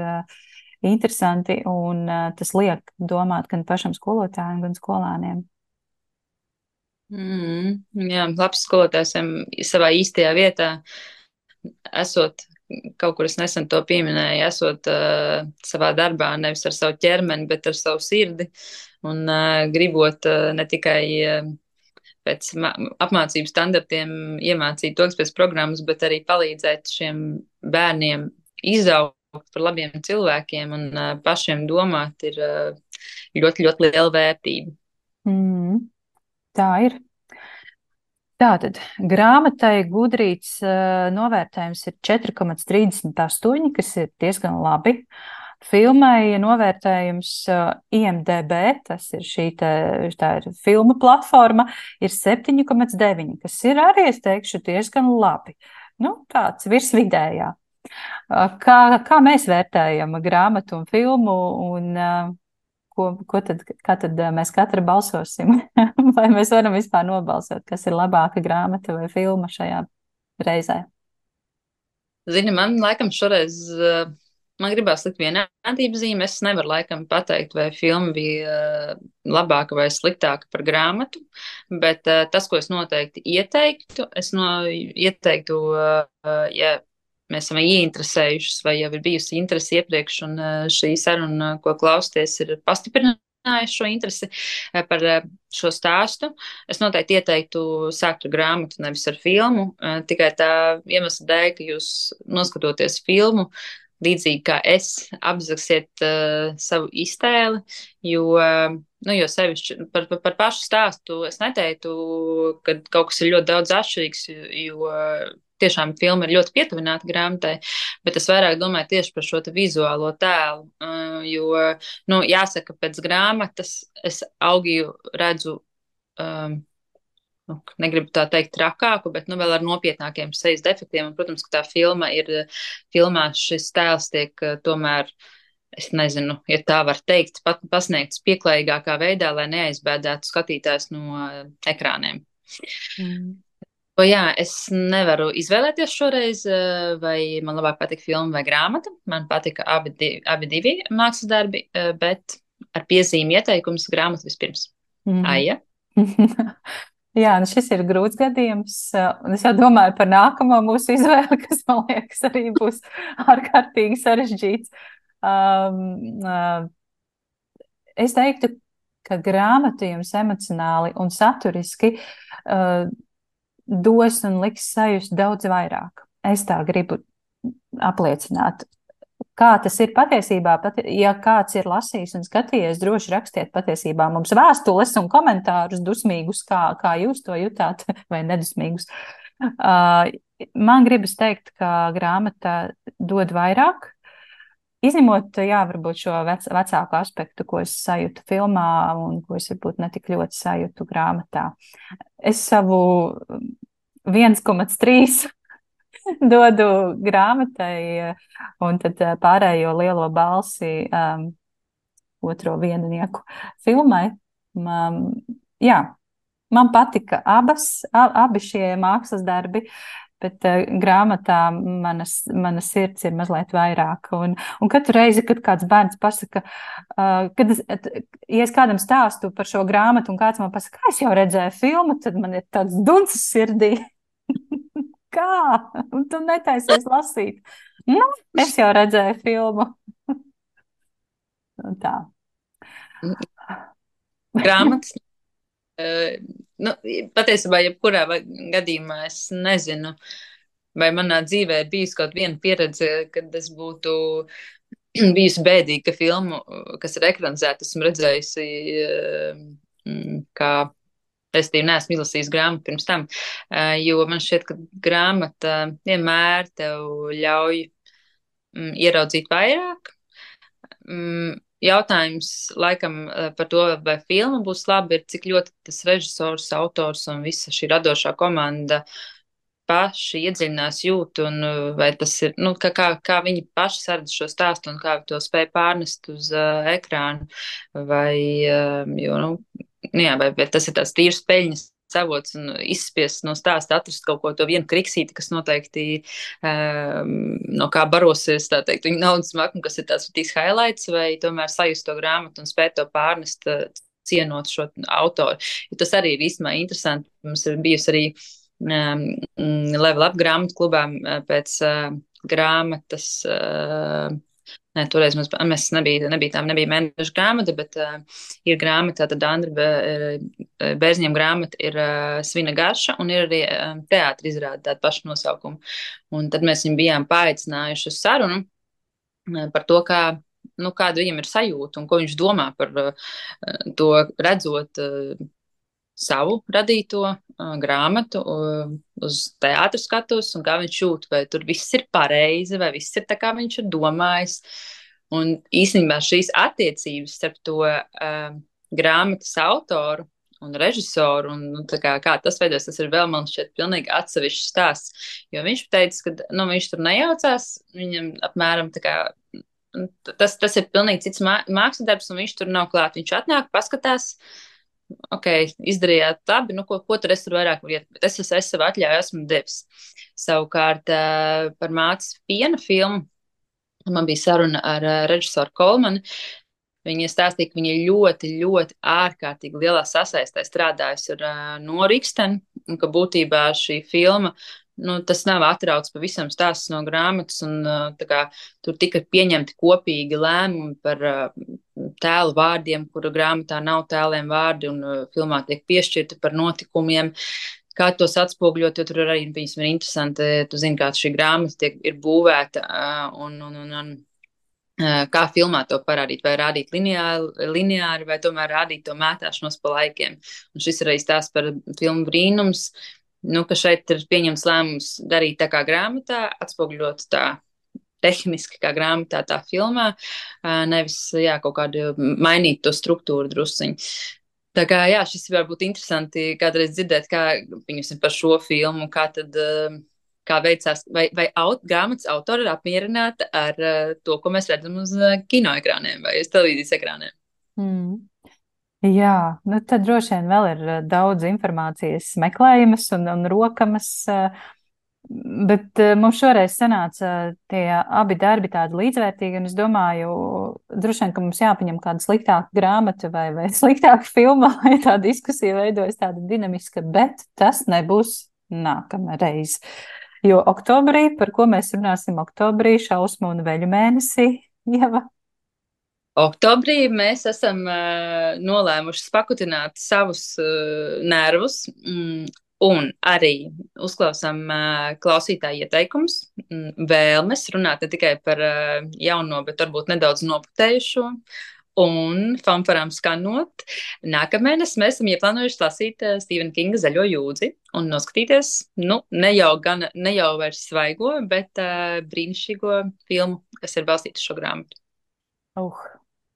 interesanti un tas liek domāt gan pašam skolotājiem, gan skolāniem. Mm, jā, labs skolotājs savā īstajā vietā, esot kaut kur es nesen to pieminēju, esot uh, savā darbā nevis ar savu ķermeni, bet ar savu sirdi. Un uh, gribot uh, ne tikai uh, pēc apmācību standartiem iemācīt to, kas pēc programmas, bet arī palīdzēt šiem bērniem izaugt par labiem cilvēkiem un uh, pašiem domāt ir uh, ļoti, ļoti liela vērtība. Mm, tā ir. Tātad grāmatai Gudrīts uh, novērtējums ir četri komats trīsdesmit astoņi, kas ir diezgan labi. Filmai novērtējums I M D B, tas ir šī te, tā ir filmu platforma, ir septiņi komats deviņi, kas ir arī, es teikšu, diezgan labi. Nu, tāds virsvidējā. Kā, kā mēs vērtējam grāmatu un filmu un ko, ko tad, kā tad mēs katra balsosim? Vai mēs varam vispār nobalsot, kas ir labāka grāmata vai filma šajā reizē? Zini, man laikam šoreiz, eh, man gribās likt vienādības zīmi. Es nevaru laikam pateikt, vai filma bija eh, labāka vai sliktāka par grāmatu, bet eh, tas, ko es noteikti ieteiktu, es no, ieteiktu, eh, ja mēs esam ieinteresējušies vai jau ir bijusi interese iepriekš, un eh, šī saruna, ko klausties, ir pastiprinājusi šo interesi eh, par eh, šo stāstu. Es noteikti ieteiktu sākt ar grāmatu, nevis ar filmu, eh, tikai tā iemesla dēļ, ka jūs noskatoties filmu, līdzīgi kā es, apzagsiet uh, savu iztēli, jo, uh, nu, jo sevišķi par, par, par pašu stāstu es neteiktu, ka kaut kas ir ļoti daudz atšķirīgs, jo uh, tiešām filma ir ļoti pietuvināta grāmatai, bet es vairāk domāju tieši par šo te vizuālo tēlu, uh, jo, nu, jāsaka, pēc grāmatas es Augiju redzu um, nu, negribu tā teikt trakāku, bet nu, vēl ar nopietnākiem sejas defektiem. Un, protams, ka tā filma ir, filmā šis tēls tiek eh, tomēr, es nezinu, ja tā var teikt, pat pasniegts pieklājīgākā veidā, lai neaizbēdētu skatītājs no eh, ekrāniem. Mm. O, jā, es nevaru izvēlēties šoreiz, eh, vai man labāk patika filma vai grāmata. Man patika abi, di abi divi mākslas darbi, eh, bet ar piezīmi ieteikums grāmatu vispirms. Mm. Aija? Jā, nu šis ir grūts gadījums, un es jau domāju par nākamo mūsu izvēli, kas, man liekas, arī būs ārkārtīgi sarežģīts. Um, uh, es teiktu, ka grāmata jums emocionāli un saturiski uh, dos un liks sajust daudz vairāk. Es tā gribu apliecināt. Kā tas ir patiesībā, pat, ja kāds ir lasījis un skatījies, droši rakstiet patiesībā mums vēstules un komentārus dusmīgus, kā, kā jūs to jutāt, vai nedusmīgus. Uh, man gribas teikt, ka grāmata dod vairāk, izņemot, jā, varbūt šo vec, vecāku aspektu, ko es sajūtu filmā un ko es varbūt netik ļoti sajūtu grāmatā. Es savu viens komats trīs dodu grāmatai, un tad pārējo lielo balsi um, otro viennieku filmai. Um, jā, man patika abas, ab, abi šie mākslas darbi, bet uh, grāmatā manas, manas sirds ir mazliet vairāk. Un, un katru reizi, kad kāds bērns pasaka, uh, kad es, ja es kādam stāstu par šo grāmatu, un kāds man pasaka, es jau redzēju filmu, tad man ir tāds duncis sirdī. Kā? Un tu netaisies lasīt. Nu, es jau redzēju filmu. Un tā. Grāmatas. Uh, nu, patiesībā, jebkurā gadījumā es nezinu, vai manā dzīvē ir bijusi kaut viena pieredze, kad es būtu bijusi bēdīga, ka filmu, kas ir ekranizēta, esmu redzējusi uh, kā. Es tev neesmu izlasījis grāmatu pirms tam, jo man šķiet, ka grāmata vienmēr tev ļauj mm, ieraudzīt vairāk. Mm, jautājums laikam par to, vai filma būs laba, ir cik ļoti tas režisors, autors un visa šī radošā komanda paši iedziļinās jūt, un vai tas ir, nu, kā, kā, kā viņi paši saredz šo stāstu un kā to spēj pārnest uz uh, ekrānu, vai, uh, jo, nu, jā, vai, vai tas ir tāds tīrs peļņas avots un izspiest no stāsta, atrast kaut ko to vienu kriksīti, kas noteikti um, no kā barosies, tā teikt, viņa naudas makmu, kas ir tāds tīks highlights, vai tomēr sajust to grāmatu un spēt to pārnest, uh, cienot šo autoru. Jo tas arī ir īstenībā interesanti. Mums ir bijusi arī um, Level Up grāmatu klubā pēc uh, grāmatas uh, Nē, toreiz mums, mēs nebija, nebija tām, nebija mēneša grāmata, bet uh, ir grāmata, tad Andra Bērziņiem grāmata ir uh, Svina garša, un ir arī uh, teātra izrāda tādu pašu nosaukumu. Un tad mēs viņu bijām paaicinājuši uz sarunu uh, par to, kā, nu, kāda viņam ir sajūta un ko viņš domā par uh, to redzot uh, savu radīto uh, grāmatu uh, uz teātra skatus un kā viņš jūt, vai tur viss ir pareizi, vai viss ir tā, kā viņš ir domājis. Un īstenībā šīs attiecības starp to uh, grāmatas autoru un režisoru un nu, kā, kā tas veidos, tas ir vēl, man šķiet, pilnīgi atsevišķs stāsts. Jo viņš teica, ka nu, viņš tur nejaucās, viņam apmēram tā kā tas, tas ir pilnīgi cits mākslas darbs, un viņš tur nav klāt. Viņš atnāk, paskatās, ok, izdarījāt labi, nu, ko, ko tur es tur vairāk varu iet, bet es, es, es sev atļauju esmu devis. Savukārt uh, par mātes piena filmu man bija saruna ar uh, režisoru Kolmanu. Viņa stāstīja, ka viņa ļoti, ļoti ārkārtīgi lielā sasaistē strādājusi ar uh, Noru Iksteni, un ka būtībā šī filma, nu, tas nav atrauts pavisam stāsts no grāmatas, un uh, tā kā tur tika pieņemti kopīgi lēmumi par uh, tēlu vārdiem, kura grāmatā nav tēliem vārdi, un uh, filmā tiek piešķirti par notikumiem. Kā tos atspoguļot, jo tur arī viņas ir interesanti. Tu zini, kā šī grāmata tiek, ir būvēta, uh, un, un, un, un kā filmā to parādīt, vai rādīt lineāri, lineāri vai tomēr rādīt to mētāšanos pa laikiem. Un šis ir arī stāsts par filmu Brīnums, nu, ka šeit ir pieņems lēmums darīt tā kā grāmatā, atspoguļot tā tehniski kā grāmatā, tā filmā, nevis, jā, kaut kādu mainīt to struktūru drusciņu. Tā kā, jā, šis var būt interesanti kādreiz dzirdēt, kā viņus par šo filmu, kā tad kā veicās, vai, vai aut, grāmatas autori ir apmierināta ar uh, to, ko mēs redzam uz uh, kinoekrāniem vai uz televīzijas ekrāniem. Mm. Jā, nu tad droši vien vēl ir daudz informācijas meklējamas un, un rokamas, bet mums šoreiz sanāca tie abi darbi tādi līdzvērtīgi, un es domāju, droši vien, ka mums jāpaņem kāda sliktāka grāmata vai, vai sliktāka filma, lai tā diskusija veidojas tāda dinamiska, bet tas nebūs nākamreiz. Jo oktobrī, par ko mēs runāsim oktobrī, šausmu un veļu mēnesī, Ieva? Oktobrī mēs esam uh, nolēmuši pakutināt savus uh, nervus mm, un arī uzklausām uh, klausītāju ieteikumus, mm, vēlmes runāt ne tikai par uh, jauno, bet varbūt nedaudz noputējušo. Un fanfarām skanot, nākamēnes mēs esam ieplānojuši lasīt uh, Stevena Kinga Zaļo jūdzi un noskatīties, nu, ne jau, gan, ne jau vairs svaigo, bet uh, brīnišķīgo filmu, kas ir balstīta šo grāmatu. Uh,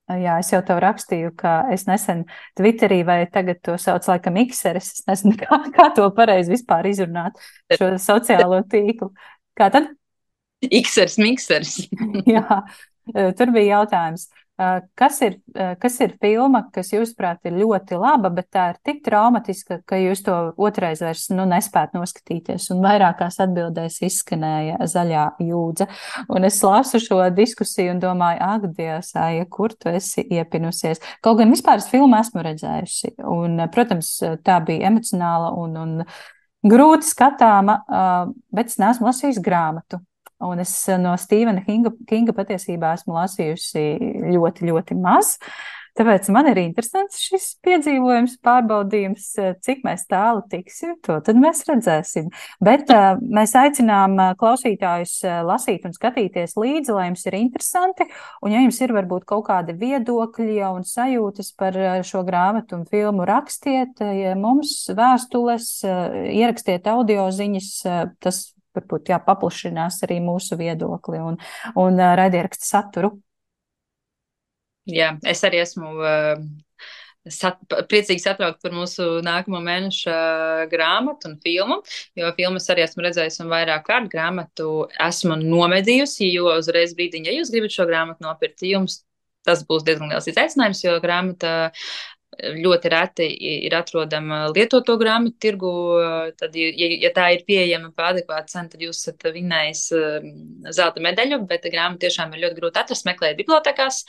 jā, es jau tev rakstīju, ka es nesen Twitterī vai tagad to sauc laikam Xeris, es nezinu, kā, kā to pareizi vispār izrunāt, šo sociālo tīklu. Kā tad? Xeris, Mikseris. Jā, tur bija jautājums. Kas ir, kas ir filma, kas jūsuprāt ir ļoti laba, bet tā ir tik traumatiska, ka jūs to otrais vairs nu, nespēt noskatīties, un vairākās atbildēs izskanēja Zaļā jūdze. Un es lasu šo diskusiju un domāju, ak, Dievs, Aija, kur tu esi iepinusies? Kaut gan vispār es filmu esmu redzējusi, un, protams, tā bija emocionāla un, un grūti skatāma, bet es neesmu lasījusi grāmatu. Un es no Stevena Kinga, Kinga patiesībā esmu lasījusi ļoti, ļoti maz. Tāpēc man ir interesants šis piedzīvojums, pārbaudījums, cik mēs tālu tiksim, to tad mēs redzēsim. Bet uh, mēs aicinām klausītājus lasīt un skatīties līdzi, lai jums ir interesanti. Un ja jums ir varbūt kaut kādi viedokļi un sajūtas par šo grāmatu un filmu, rakstiet ja mums vēstules, ierakstiet audio ziņas, tas varbūt jā, paplašinās arī mūsu viedokli un, un uh, raidieraksta saturu. Jā, es arī esmu uh, sat, priecīgi satraukt par mūsu nākamo mēneša uh, grāmatu un filmu, jo filmas arī esmu redzējusi un vairāk kārt grāmatu esmu nomedījusi, jo uzreiz brīdiņ, ja jūs gribat šo grāmatu nopirkt, jums tas būs diezgan liels izaicinājums, jo grāmata ļoti reti ir atrodama lietoto grāmatu tirgu, tad, ja, ja tā ir pieejama par adekvātu cenu, tad jūs esat vinnējis zelta medaļu, bet grāmatu tiešām ir ļoti grūti atrast, meklēt bibliotekās.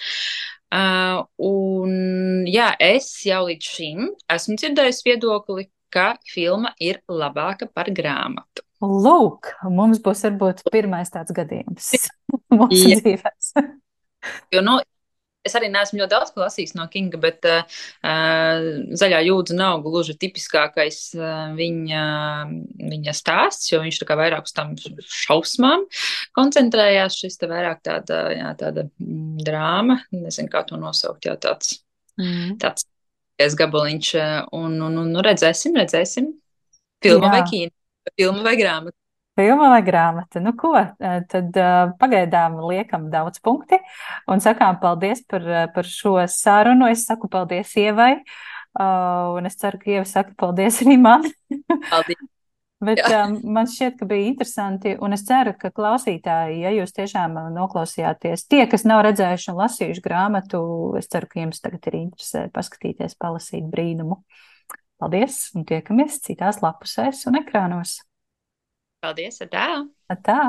Uh, un jā, es jau līdz šim esmu dzirdējusi viedokli, ka filma ir labāka par grāmatu. Lūk, mums būs varbūt pirmais tāds gadījums mūsu jā. dzīvēs. Jo, nu, es arī neesmu ļoti daudz lasījis no Kinga, bet uh, Zaļā jūdze nav gluži tipiskākais uh, viņa, viņa stāsts, jo viņš tā kā vairāk uz tam šausmām koncentrējās. Šis te vairāk tāda, jā, tāda mm, drāma, nezinu, kā to nosaukt, jā, tāds, mm. tāds gabaliņš. Un, un, un redzēsim, redzēsim. Filma jā. Vai kīna, filma vai grāmata. Filma vai grāmata? Nu ko, tad uh, pagaidām liekam daudz punkti un sakām paldies par, par šo sarunu. Es saku paldies Ievai uh, un es ceru, ka Ieva saka paldies arī man. Paldies. Bet Jā. um, man šķiet, ka bija interesanti, un es ceru, ka klausītāji, ja jūs tiešām noklausījāties, tie, kas nav redzējuši un lasījuši grāmatu, es ceru, ka jums tagad ir interesē paskatīties, palasīt brīnumu. Paldies, un tiekamies citās lapusēs un ekrānos. Paldies, ar tā! Tā!